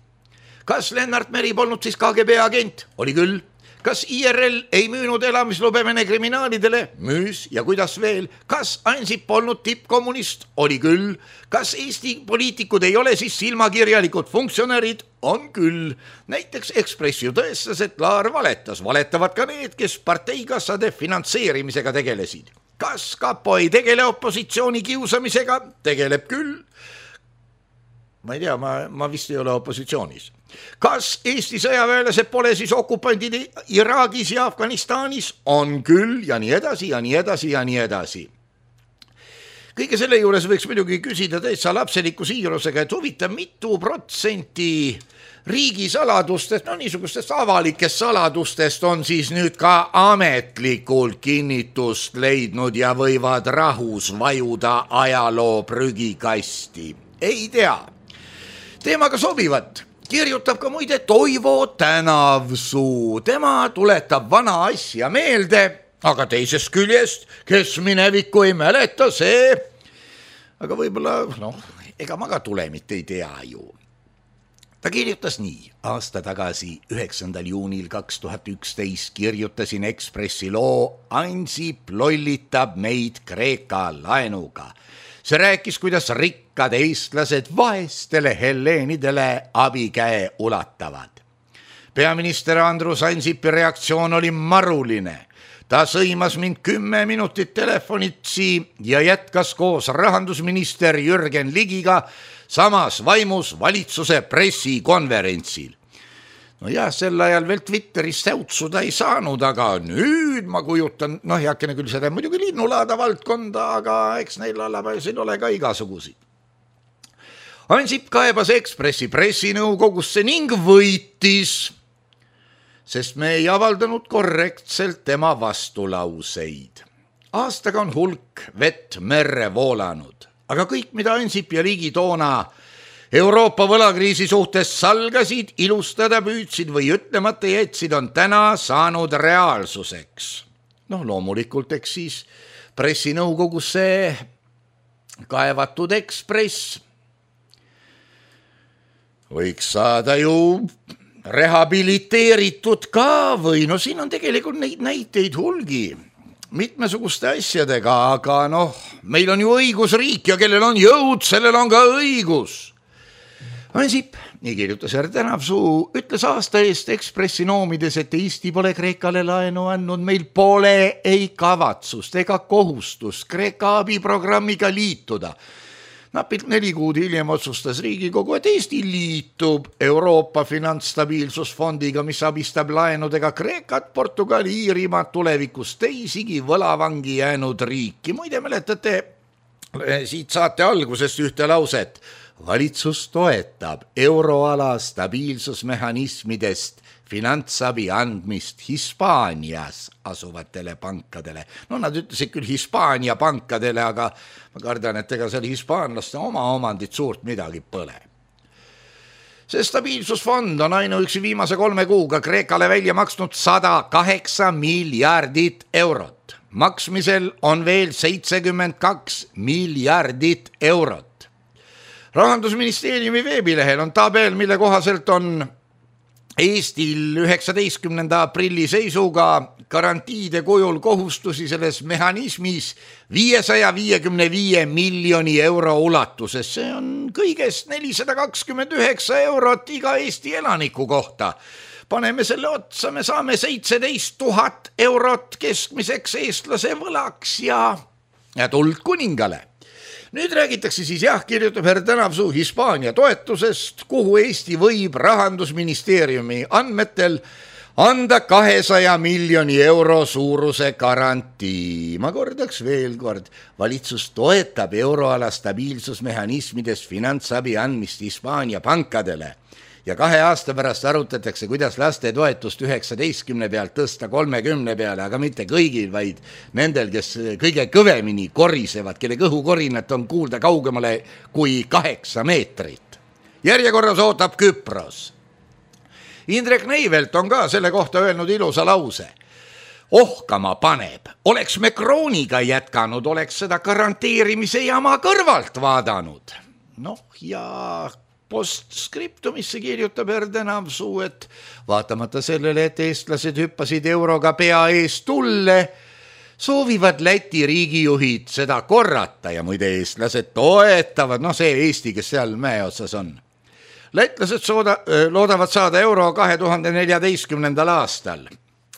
S3: kas Lennart Meri polnud siis K G B agent? Oli küll. Kas I R L ei müünud elamislube Vene kriminaalidele? Müüs ja kuidas veel? Kas Ansip polnud tippkommunist? Oli küll. Kas Eesti poliitikud ei ole siis silmakirjalikud funktsionärid? On küll. Näiteks Ekspress ju tõestas, et Laar valetas. Valetavad ka need, kes parteikassade finantseerimisega tegelesid. Kas Kapo ei tegele opositsiooni kiusamisega? Tegeleb küll. Ma ei tea, ma, ma vist ei ole opositsioonis. Kas Eesti sõjaväelased pole siis okupandid Iraagis ja Afganistanis? On küll ja nii edasi ja nii edasi ja nii edasi. Kõige selle juures võiks muidugi küsida täitsa lapseliku siirusega, et huvitav mitu protsenti riigisaladustest, no niisugustest avalikest saladustest on siis nüüd ka ametlikult kinnitust leidnud ja võivad rahus vajuda ajaloo prügikasti. Ei tea. Teemaga sobivat kirjutab ka muide Toivo Tänavsuu. Tema tuletab vana asja meelde, aga teisest küljest, kes minevikku ei mäleta, see, aga võib-olla, noh, ega ma ka tulemit ei tea ju. Ta kirjutas nii: aasta tagasi, üheksandal juunil kaks tuhat üksteist kirjutasin Ekspressi loo Ansip lollitab meid Kreeka laenuga. See rääkis, kuidas rikkad eestlased vaestele helleenidele abikäe ulatavad. Peaminister Andrus Ansipi reaktsioon oli maruline. Ta sõimas mind kümme minutit telefonitsi ja jätkas koos rahandusminister Jürgen Ligiga samas vaimus valitsuse pressikonverentsil. No jah, sel ajal veel Twitteris säutsuda ei saanud, aga nüüd ma kujutan, noh heakene küll seda muidugi linnulaada valdkonda, aga eks neil allapäisil ole ka igasugusi. Ansip kaebas Ekspressi pressinõukogusse ning võitis, sest me ei avaldanud korrektselt tema vastulauseid. Aastaga on hulk vett merre voolanud, aga kõik, mida Ansip ja Ligi toona Euroopa võlakriisi suhtes salgasid, ilustada püüdsid või ütlemata jätsid, on täna saanud reaalsuseks. Noh, loomulikult, eks siis pressinõukogusse kaevatud Ekspress võiks saada ju rehabiliteeritud ka või no siin on tegelikult neid näiteid hulgi mitmesuguste asjadega, aga noh, meil on ju õigusriik ja kellel on jõud, sellel on ka õigus. Ansip, nii kirjutas R. Tänavsuu, ütles aasta eest Ekspressi noomides, et Eesti pole Kreekale laenu andnud, meil pole ei kavatsust ega kohustust Kreeka abiprogrammiga liituda. Napilt neli kuud hiljem otsustas Riigikogu, et Eesti liitub Euroopa finantsstabiilsusfondiga, mis abistab laenudega Kreekat, Portugali, Iirimaad, tulevikus teisigi võlavangi jäänud riiki. Muide, mäletate siit saate algusest ühte lauset. Valitsus toetab euroala stabiilsusmehhanismidest finantsabi andmist Hispaanias asuvatele pankadele. No nad ütlesid küll Hispaania pankadele, aga ma kardan, et ega seal hispaanlaste oma omandit suurt midagi pole. See stabiilsusfond on ainuüksi viimase kolme kuuga Kreekale välja maksnud sada kaheksa miljardit eurot. Maksmisel on veel seitsekümmend kaks miljardit eurot. Rahandusministeeriumi veebilehel on tabel, mille kohaselt on Eestil üheksateistkümnenda aprilli seisuga garantiide kujul kohustusi selles mehhanismis viiesaja viiekümne viie miljoni euro ulatuses. See on kõigest nelisada kakskümmend üheksa eurot iga Eesti elaniku kohta. Paneme selle otsa, me saame seitseteist tuhat eurot keskmiseks eestlase võlaks ja, ja tuld kuningale. Nüüd räägitakse siis jah, kirjutab R. Tänavsuu Hispaania toetusest, kuhu Eesti võib rahandusministeeriumi andmetel anda kahesaja miljoni euro suuruse garantii. Ma kordaks veel kord, valitsus toetab euroala stabiilsusmehhanismidest finantsabi andmist Hispaania pankadele ja kahe aasta pärast arutatakse, kuidas laste toetust üheksateistkümne pealt tõsta kolmekümne peale, aga mitte kõigil, vaid nendel, kes kõige kõvemini korisevad, kelle kõhukorinat on kuulda kaugemale kui kaheksa meetrit. Järjekorras ootab Küpros. Indrek Neivelt on ka selle kohta öelnud ilusa lause. Ohkama paneb, oleks me krooniga jätkanud, oleks seda garanteerimise jama kõrvalt vaadanud. Noh ja postskriptumisse kirjutab R. Tänavsuu, et vaatamata sellele, et eestlased hüppasid euroga pea ees tulle, soovivad Läti riigijuhid seda korrata ja muide eestlased toetavad, noh see Eesti, kes seal mäe otsas on. Lätlased sooda, loodavad saada euro kahe tuhande neljateistkümnendal aastal.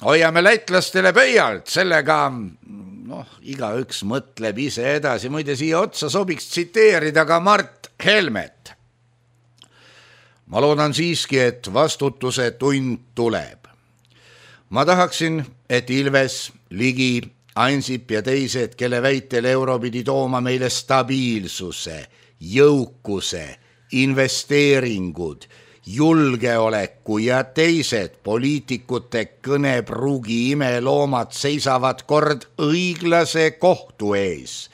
S3: Hoiame lätlastele pöialt, sellega noh, igaüks mõtleb ise edasi. Muide siia otsa sobiks tsiteerida ka Mart Helmet. Ma loodan siiski, et vastutuse tund tuleb. Ma tahaksin, et Ilves, Ligi, Ansip ja teised, kelle väitel euro pidi tooma meile stabiilsuse, jõukuse, investeeringud, julgeoleku ja teised poliitikute kõnepruugi imeloomad seisavad kord õiglase kohtu ees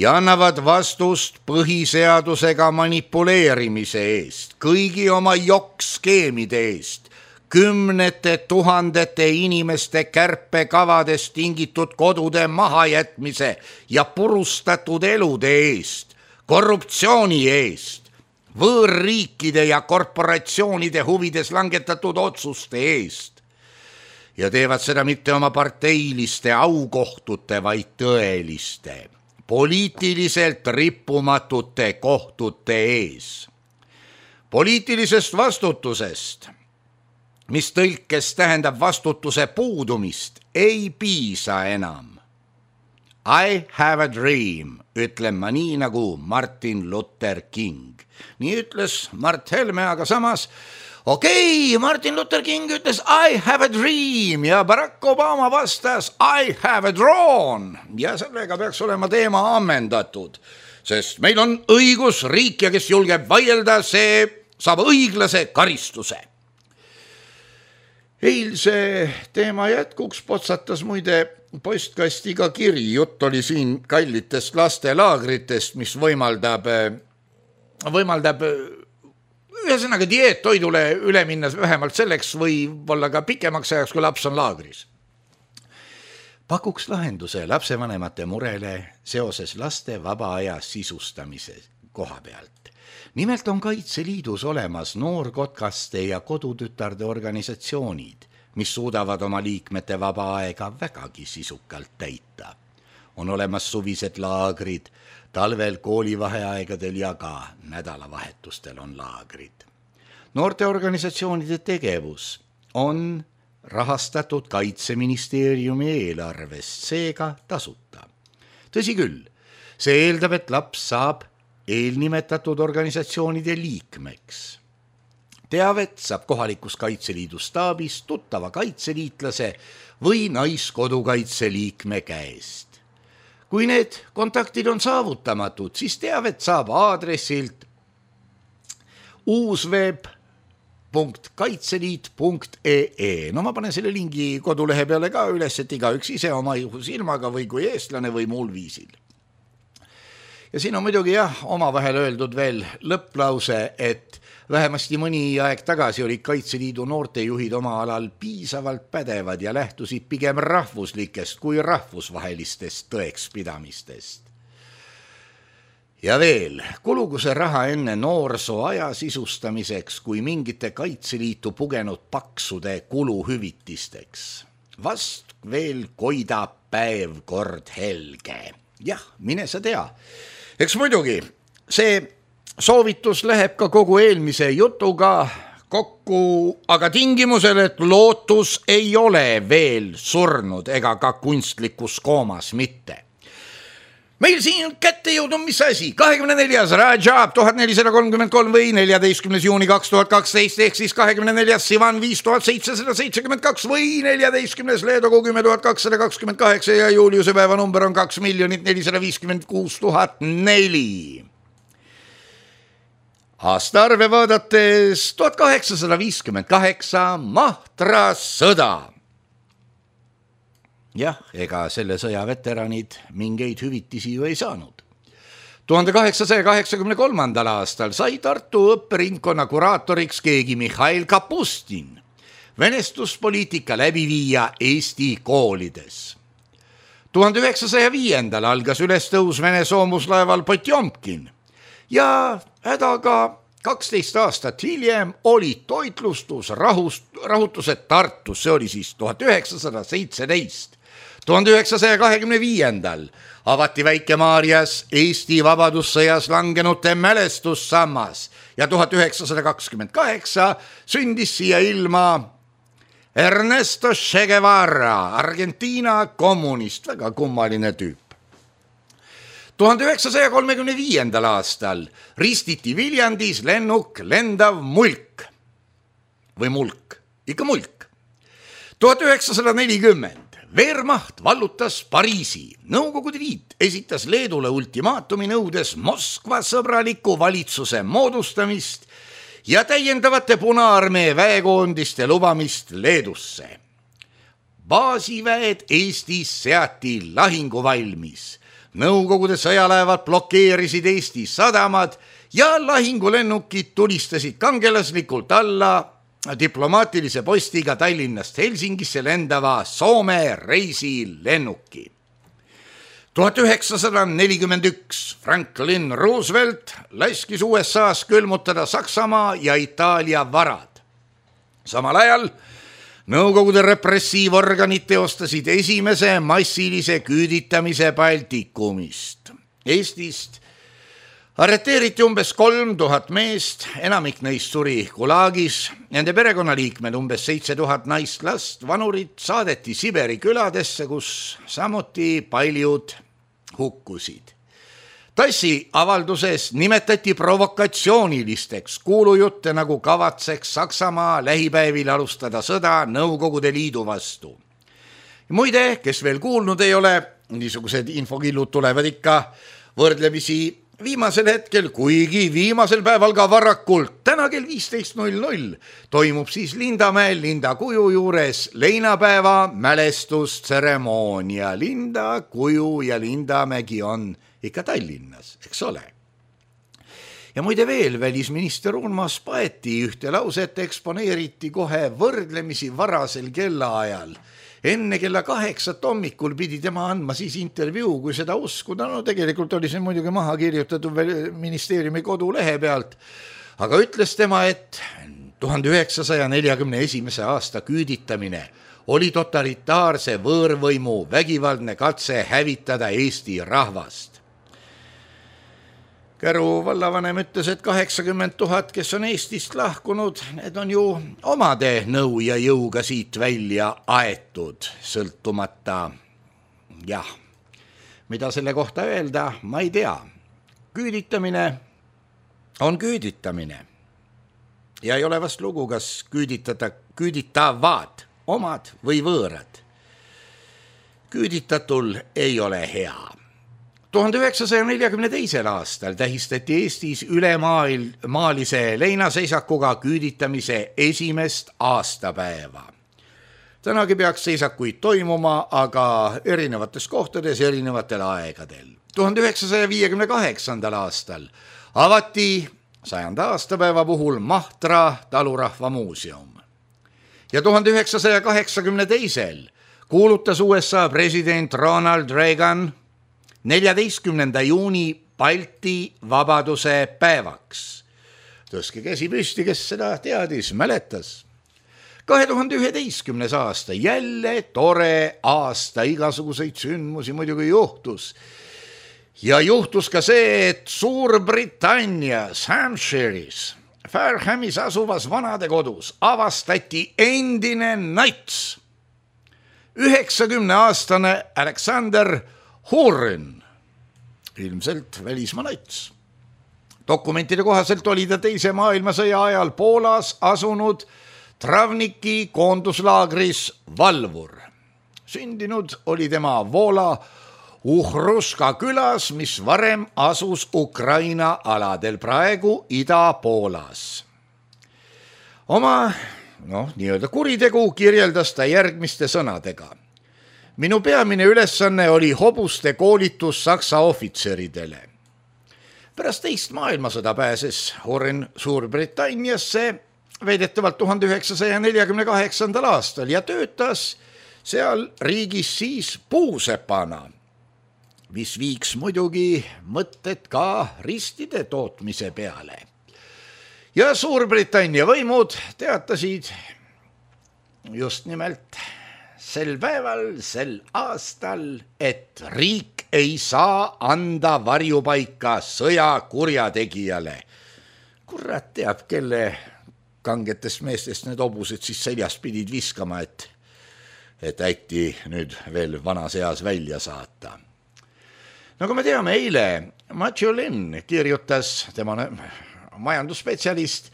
S3: ja annavad vastust põhiseadusega manipuleerimise eest, kõigi oma jokkskeemide eest, kümnete tuhandete inimeste kärpekavadest tingitud kodude mahajätmise ja purustatud elude eest, korruptsiooni eest, võõrriikide ja korporatsioonide huvides langetatud otsuste eest ja teevad seda mitte oma parteiliste aukohtute, vaid tõeliste, poliitiliselt rippumatute kohtute ees. Poliitilisest vastutusest, mis tõlkes tähendab vastutuse puudumist, ei piisa enam. I have a dream, ütlen ma nii nagu Martin Luther King. Nii ütles Mart Helme, aga samas, okei, okay, Martin Luther King ütles I have a dream ja Barack Obama vastas I have a drone. Ja sellega peaks olema teema ammendatud, sest meil on õigusriik ja kes julgeb vaielda, see saab õiglase karistuse. Eilse teema jätkuks potsatas muide postkastiga kiri. Jutt oli siin kallitest lastelaagritest, mis võimaldab, võimaldab ühesõnaga dieettoidule üle minna vähemalt selleks või olla ka pikemaks ajaks, kui laps on laagris. Pakuks lahenduse lapsevanemate murele seoses laste vaba aja sisustamise koha pealt. Nimelt on Kaitseliidus olemas noorkotkaste ja kodutütarde organisatsioonid, mis suudavad oma liikmete vaba aega vägagi sisukalt täita. On olemas suvised laagrid, talvel koolivaheaegadel ja ka nädalavahetustel on laagrid. Noorteorganisatsioonide tegevus on rahastatud Kaitseministeeriumi eelarvest, seega tasuta. Tõsi küll, see eeldab, et laps saab eelnimetatud organisatsioonide liikmeks. Teavet saab kohalikus Kaitseliidu staabis tuttava kaitseliitlase või naiskodukaitseliikme käest. Kui need kontaktid on saavutamatud, siis teavet saab aadressilt uusweb punkt kaitseliit punkt ee. No ma panen selle lingi kodulehe peale ka üles, et igaüks ise oma silmaga või kui eestlane või muul viisil. Ja siin on muidugi jah, oma vahel öeldud veel lõpplause, et vähemasti mõni aeg tagasi olid Kaitseliidu noortejuhid oma alal piisavalt pädevad ja lähtusid pigem rahvuslikest kui rahvusvahelistest tõekspidamistest. Ja veel, kulugu see raha enne noorsoo aja sisustamiseks kui mingite Kaitseliitu pugenud paksude kuluhüvitisteks. Vast veel koidab päev kord helge. Jah, mine sa tea. Eks muidugi, see soovitus läheb ka kogu eelmise jutuga kokku, aga tingimusel, et lootus ei ole veel surnud ega ka kunstlikus koomas mitte. Meil siin kätte jõudnud mis asi? kahekümne neljas Rajab tuhat nelisada kolmkümmend kolm või neljateistkümnes juuni kaks tuhat kaksteist ehk siis kahekümne neljas Sivan viis tuhat seitsesada seitsekümmend kaks või neljateistkümnes Leedogu kümme tuhat kakssada kakskümmend kaheksa ja Juliuse päeva number on kaks miljonit nelisada viiskümmend kuus tuhat neli. Aastaarve vaadates tuhat kaheksasada viiskümmend kaheksa Mahtra sõda. Jah, ega selle sõja veteranid mingeid hüvitisi ju ei saanud. tuhande kaheksasaja kaheksakümne kolmandal aastal sai Tartu õpperingkonna kuraatoriks keegi Mihhail Kapustin, venestuspoliitika läbiviija Eesti koolides. tuhande üheksasaja viiendal algas ülestõus Vene soomuslaeval Potjomkin ja hädaga kaksteist aastat hiljem olid toitlustus rahust, rahutused Tartus, see oli siis tuhat üheksasada seitseteist. tuhande üheksasaja kahekümne viiendal avati Väike-Maarjas Eesti vabadussõjas langenute mälestussammas ja tuhat üheksasada kakskümmend kaheksa sündis siia ilma Ernesto Che Guevara, Argentiina kommunist, väga kummaline tüüp. tuhande üheksasaja kolmekümne viiendal aastal ristiti Viljandis lennuk lendav mulk või mulk, ikka mulk. tuhat üheksasada nelikümmend Wehrmacht vallutas Pariisi. Nõukogude Liit esitas Leedule ultimaatumi nõudes Moskva sõbraliku valitsuse moodustamist ja täiendavate Punaarmee väekoondiste lubamist Leedusse. Baasiväed Eestis seati lahinguvalmis. Nõukogude sõjalaevad blokeerisid Eesti sadamad ja lahingulennukid tulistasid kangelaslikult alla diplomaatilise postiga Tallinnast Helsingisse lendava Soome reisilennuki. tuhat üheksasada nelikümmend üks Franklin Roosevelt laskis U S A-s külmutada Saksamaa ja Itaalia varad. Samal ajal Nõukogude repressiivorganid teostasid esimese massilise küüditamise Baltikumist. Eestist arreteeriti umbes kolm tuhat meest, enamik neist suri Gulagis, nende perekonnaliikmed umbes seitse tuhat naist, last, vanurit saadeti Siberi küladesse, kus samuti paljud hukkusid. Tassi avalduses nimetati provokatsioonilisteks kuulujutte, nagu kavatseks Saksamaa lähipäevil alustada sõda Nõukogude Liidu vastu. Muide, kes veel kuulnud ei ole, niisugused infokillud tulevad ikka võrdlemisi viimasel hetkel, kuigi viimasel päeval ka varakult, täna kell viisteist null null toimub siis Lindamäel Linda kuju juures leinapäeva mälestustseremoonia. Linda kuju ja Lindamägi on ikka Tallinnas, eks ole. Ja muide veel, välisminister Urmas Paeti ühte lauset eksponeeriti kohe võrdlemisi varasel kellaajal. Enne kella kaheksat hommikul pidi tema andma siis intervjuu, kui seda uskuda. No tegelikult oli see muidugi maha kirjutatud ministeeriumi kodulehe pealt, aga ütles tema, et tuhande üheksasaja neljakümne esimese aasta küüditamine oli totalitaarse võõrvõimu vägivaldne katse hävitada Eesti rahvast. Käru vallavanem ütles, et kaheksakümmend tuhat, kes on Eestist lahkunud, need on ju omade nõu ja jõuga siit välja aetud, sõltumata. Jah, mida selle kohta öelda, ma ei tea. Küüditamine on küüditamine. Ja ei ole vast lugu, kas küüditada, küüditavad omad või võõrad. Küüditatul ei ole hea. tuhande üheksasaja neljakümne teisel aastal tähistati Eestis ülemaalise leinaseisakuga küüditamise esimest aastapäeva. Tänagi peaks seisakuid toimuma, aga erinevates kohtades erinevatel aegadel. tuhande üheksasaja viiekümne kaheksandal aastal avati sajanda aastapäeva puhul Mahtra talurahva muuseum. Ja tuhande üheksasaja kaheksakümne teisel kuulutas U S A president Ronald Reagan neljateistkümnenda juuni Balti vabaduse päevaks. Tõstke käsi püsti, kes seda teadis, mäletas. kahe tuhande üheteistkümnes aasta, jälle tore aasta, igasuguseid sündmusi muidugi juhtus. Ja juhtus ka see, et Suurbritannias, Hampshire'is, Fairhamis asuvas vanadekodus avastati endine nats. üheksakümne aastane Alexander Hurin, ilmselt välismaa nats. Dokumentide kohaselt oli ta teise maailmasõja ajal Poolas asunud Travniki koonduslaagris valvur. Sündinud oli tema Vola Uhruska külas, mis varem asus Ukraina aladel, praegu Ida-Poolas. Oma noh, nii-öelda kuritegu kirjeldas ta järgmiste sõnadega. Minu peamine ülesanne oli hobuste koolitus Saksa ohvitseridele. Pärast teist maailmasõda pääses Hurin Suurbritanniasse veidetavalt tuhande üheksasaja neljakümne kaheksandal aastal ja töötas seal riigis siis puusepana, mis viiks muidugi mõtted ka ristide tootmise peale. Ja Suurbritannia võimud teatasid just nimelt sel päeval, sel aastal, et riik ei saa anda varjupaika sõja kurjategijale. Kurat teab, kelle kangetest meestest need hobused siis seljas pidid viskama, et, et äkki nüüd veel vanas eas välja saata. Nagu me teame, eile Matthew Lynn kirjutas, tema majandusspetsialist,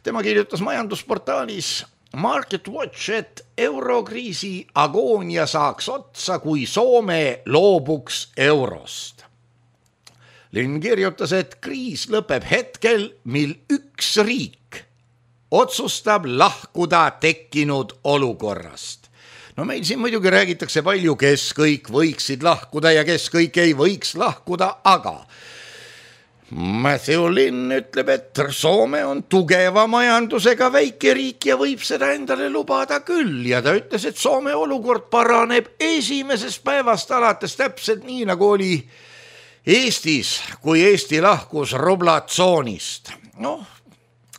S3: tema kirjutas majandusportaalis Market Watch, et eurokriisi agoonia saaks otsa, kui Soome loobuks eurost. Lynn kirjutas, et kriis lõpeb hetkel, mil üks riik otsustab lahkuda tekkinud olukorrast. No meil siin muidugi räägitakse palju, kes kõik võiksid lahkuda ja kes kõik ei võiks lahkuda, aga Matthew Linn ütleb, et Soome on tugeva majandusega väike riik ja võib seda endale lubada küll ja ta ütles, et Soome olukord paraneb esimesest päevast alates täpselt nii, nagu oli Eestis, kui Eesti lahkus rublatsoonist. Noh,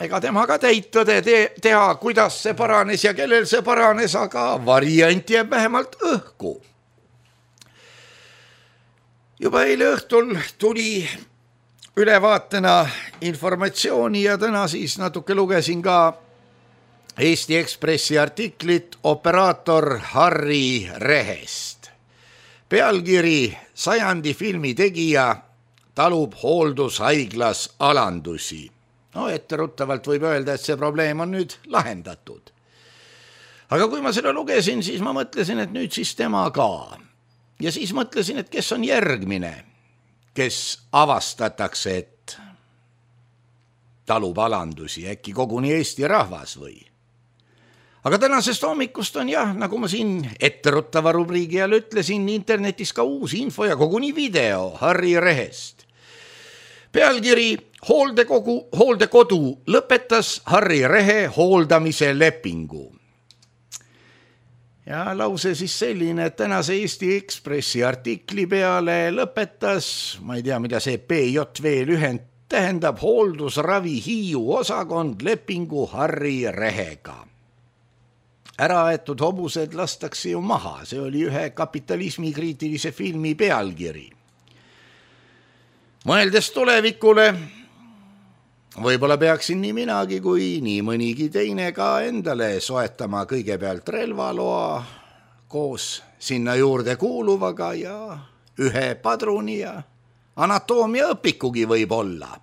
S3: ega tema ka täit tõde te- teha, kuidas see paranes ja kellel see paranes, aga variant jääb vähemalt õhku. Juba eile õhtul tuli ülevaatena informatsiooni ja täna siis natuke lugesin ka Eesti Ekspressi artiklit operaator Harri Rehest. Pealkiri sajandi filmi tegija talub hooldushaiglas alandusi. No etteruttavalt võib öelda, et see probleem on nüüd lahendatud. Aga kui ma seda lugesin, siis ma mõtlesin, et nüüd siis tema ka. Ja siis mõtlesin, et kes on järgmine, kes avastatakse, et talub alandusi, äkki koguni Eesti rahvas või. Aga tänasest hommikust on jah, nagu ma siin etteruttava rubriigi all ütlesin, internetis ka uus info ja koguni video Harri Rehest. Pealkiri hooldekogu, hooldekodu lõpetas Harri Rehe hooldamise lepingu. Ja lause siis selline, et tänase Eesti Ekspressi artikli peale lõpetas, ma ei tea, mida see P J V lühend tähendab, hooldusravi Hiiu osakond lepingu Harri Rehega. Äraaetud hobused lastakse ju maha, see oli ühe kapitalismi kriitilise filmi pealkiri. Mõeldes tulevikule, võib-olla peaksin nii minagi kui nii mõnigi teine ka endale soetama kõigepealt relvaloa koos sinna juurde kuuluvaga ja ühe padruni ja anatoomia õpikugi võib olla.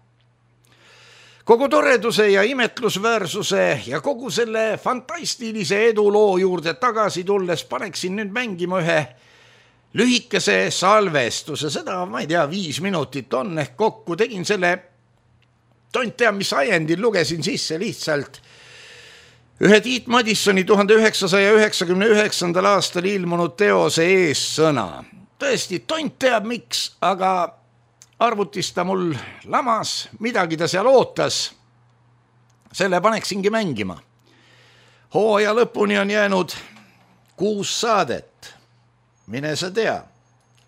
S3: Kogu toreduse ja imetlusväärsuse ja kogu selle fantastilise eduloo juurde tagasi tulles paneksin nüüd mängima ühe lühikese salvestuse, seda ma ei tea, viis minutit on ehk kokku, tegin selle tont tea, mis ajendil lugesin sisse lihtsalt ühe Tiit Madissoni tuhande üheksasaja üheksakümne üheksandal aastal ilmunud teose eessõna. Tõesti, tont teab miks, aga arvutis ta mul lamas, midagi ta seal ootas. Selle paneksingi mängima. Hooaja lõpuni on jäänud kuus saadet. Mine sa tea,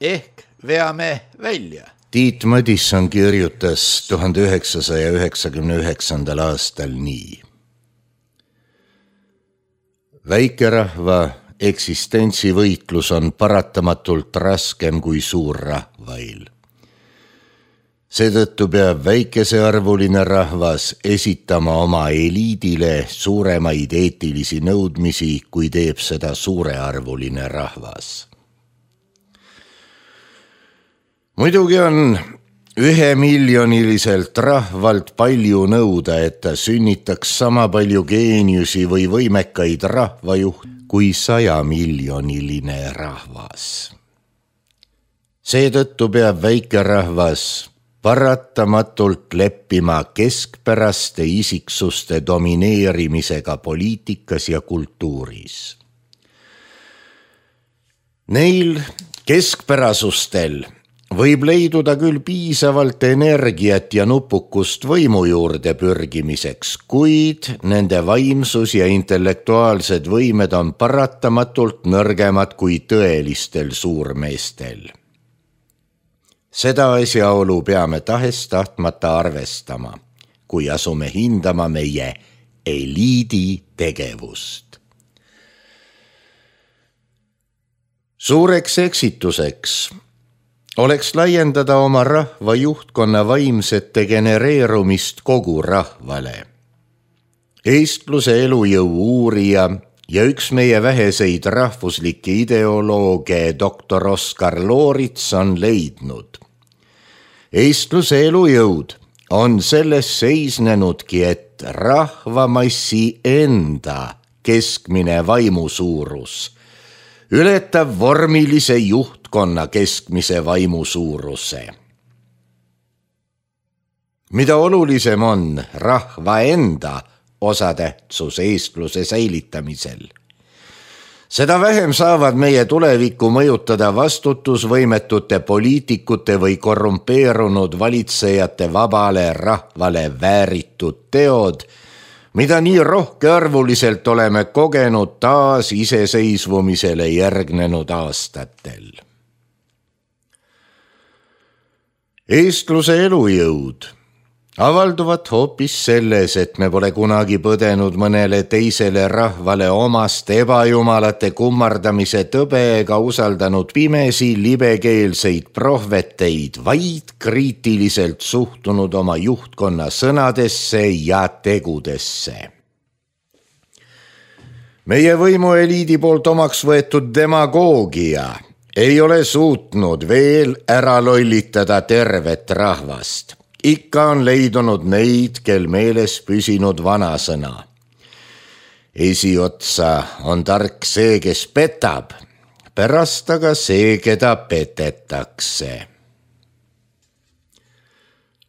S3: ehk veame välja. Tiit Madisson kirjutas tuhande üheksasaja üheksakümne üheksandal aastal nii. Väikerahva eksistentsivõitlus on paratamatult raskem kui suur rahvail. Seetõttu peab väikesearvuline rahvas esitama oma eliidile suuremaid eetilisi nõudmisi, kui teeb seda suurearvuline rahvas. Muidugi on ühemiljoniliselt rahvalt palju nõuda, et ta sünnitaks sama palju geeniusi või võimekaid rahvajuht kui sajamiljoniline rahvas. Seetõttu peab väikerahvas paratamatult leppima keskpäraste isiksuste domineerimisega poliitikas ja kultuuris. Neil keskpärasustel võib leiduda küll piisavalt energiat ja nupukust võimu juurde pürgimiseks, kuid nende vaimsus ja intellektuaalsed võimed on paratamatult nõrgemad kui tõelistel suurmeestel. Seda asjaolu peame tahes tahtmata arvestama, kui asume hindama meie eliidi tegevust. Suureks eksituseks oleks laiendada oma rahva juhtkonna vaimset degenereerumist kogu rahvale. Eestluse elujõu uurija ja üks meie väheseid rahvuslikke ideolooge doktor Oskar Loorits on leidnud. Eestluse elujõud on selles seisnenudki, et rahvamassi enda keskmine vaimusuurus ületab vormilise juhtkonna keskmise vaimusuuruse. Mida olulisem on rahva enda osatähtsus eestluse säilitamisel, Seda vähem saavad meie tulevikku mõjutada vastutusvõimetute poliitikute või korrumpeerunud valitsejate vabale rahvale vääritud teod, mida nii rohkearvuliselt oleme kogenud taas iseseisvumisele järgnenud aastatel. Eestluse elujõud avalduvad hoopis selles, et me pole kunagi põdenud mõnele teisele rahvale omast ebajumalate kummardamise tõbe ega usaldanud pimesi libekeelseid prohveteid, vaid kriitiliselt suhtunud oma juhtkonna sõnadesse ja tegudesse. Meie võimueliidi poolt omaks võetud demagoogia ei ole suutnud veel ära lollitada tervet rahvast. Ikka on leidunud neid, kel meeles püsinud vanasõna. Esiotsa on tark see, kes petab, pärast aga see, keda petetakse.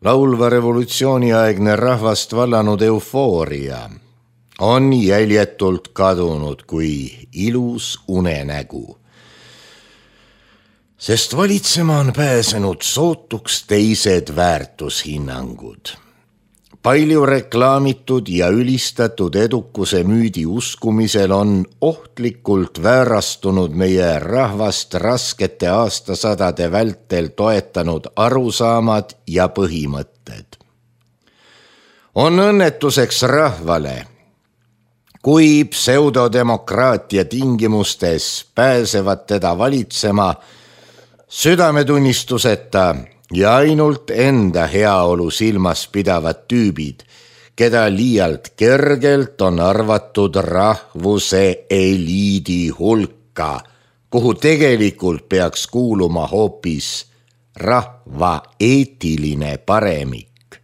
S3: Laulva revolutsiooniaegne rahvast vallanud eufooria on jäljetult kadunud kui ilus unenägu. Sest valitsema on pääsenud sootuks teised väärtushinnangud. Palju reklaamitud ja ülistatud edukuse müüdi uskumisel on ohtlikult väärastunud meie rahvast raskete aastasadade vältel toetanud arusaamad ja põhimõtted. On õnnetuseks rahvale, kui pseudodemokraatia tingimustes pääsevad teda valitsema südametunnistuseta ja ainult enda heaolu silmas pidavad tüübid, keda liialt kergelt on arvatud rahvuse eliidi hulka, kuhu tegelikult peaks kuuluma hoopis rahva eetiline paremik.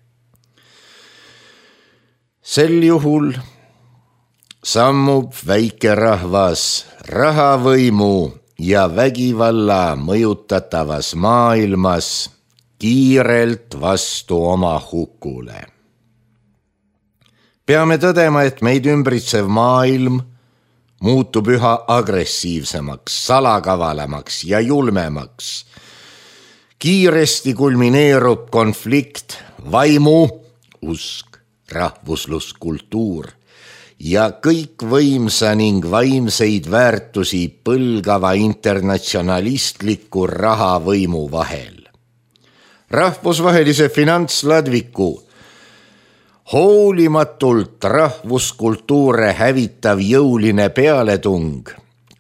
S3: Sel juhul sammub väike rahvas rahavõimu ja vägivalla mõjutatavas maailmas kiirelt vastu oma hukule. Peame tõdema, et meid ümbritsev maailm muutub üha agressiivsemaks, salakavalamaks ja julmemaks. Kiiresti kulmineerub konflikt vaimu, usk, rahvuslus, kultuur ja kõik võimsa ning vaimseid väärtusi põlgava internatsionalistliku rahavõimu vahel. Rahvusvahelise finantsladviku hoolimatult rahvuskultuure hävitav jõuline pealetung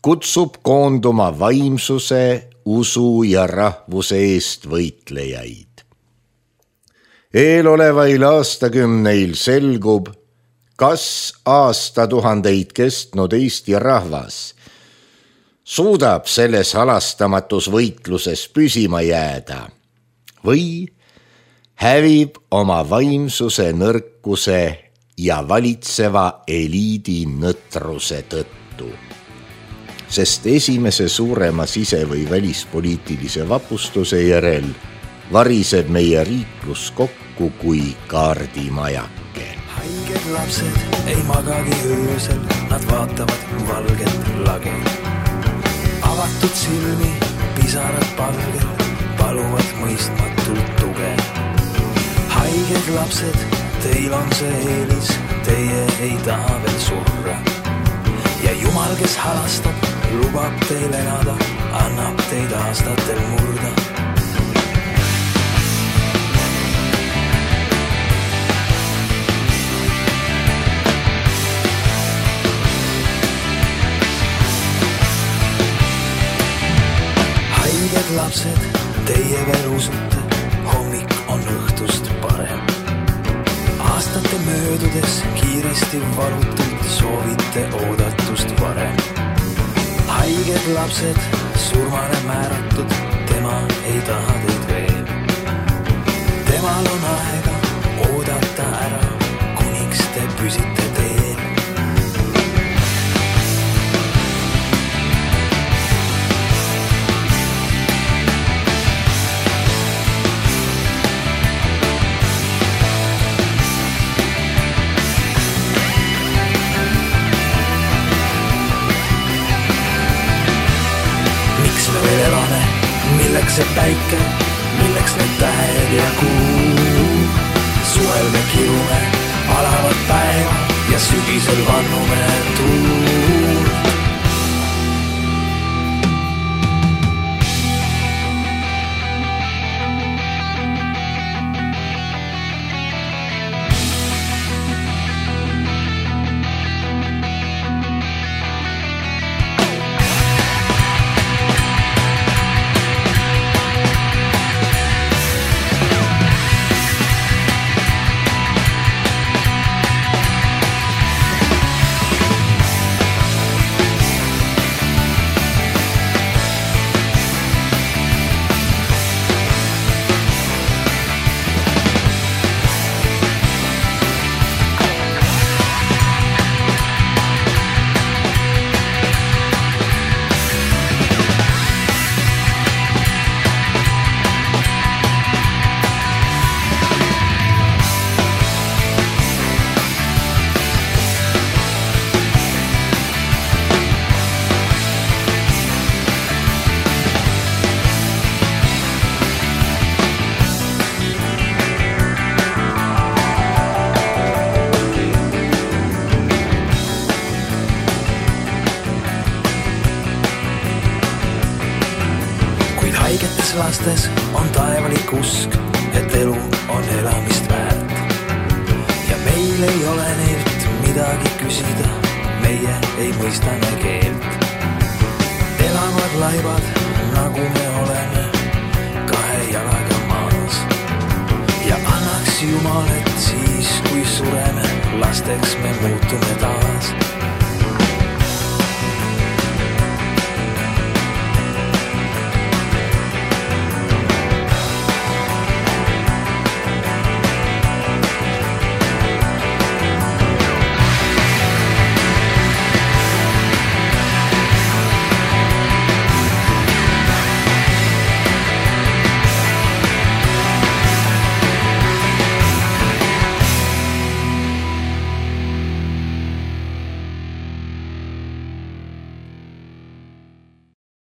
S3: kutsub koonduma vaimsuse, usu ja rahvuse eest võitlejaid. Eelolevail aastakümneil selgub, kas aastatuhandeid kestnud Eesti rahvas suudab selles halastamatus võitluses püsima jääda või hävib oma vaimsuse nõrkuse ja valitseva eliidi nõtruse tõttu. Sest esimese suurema sise- või välispoliitilise vapustuse järel variseb meie riiklus kokku kui kaardimajake.
S4: Haiged lapsed ei magagi öösel, nad vaatavad valget lage. Avatud silmi, pisarad palgel, paluvad mõistmatult tuge. Haiged lapsed, teil on see eelis, teie ei taha veel surra. Ja Jumal, kes halastab, lubab teil elada, annab teid aastatel murda. Lapsed, teie veel usute, hommik on õhtust parem. Aastate möödudes kiiresti valutult soovite oodatust varem. Haiged lapsed, surmale määratud, tema ei taha teid veel. Temal on aega oodata ära, kuniks te püsite teel. milleks see päike, milleks need tähed ja kuu. Suvel me kirume alavat päeva ja sügisel vannume tuult. Haigetes lastes on taevalik usk, et elu on elamist väärt. Ja meil ei ole neilt midagi küsida, meie ei mõista me keelt. Elavad laibad, nagu me oleme, kahe jalaga maas. Ja annaks Jumal, et siis, kui sureme, lasteks me muutume taas.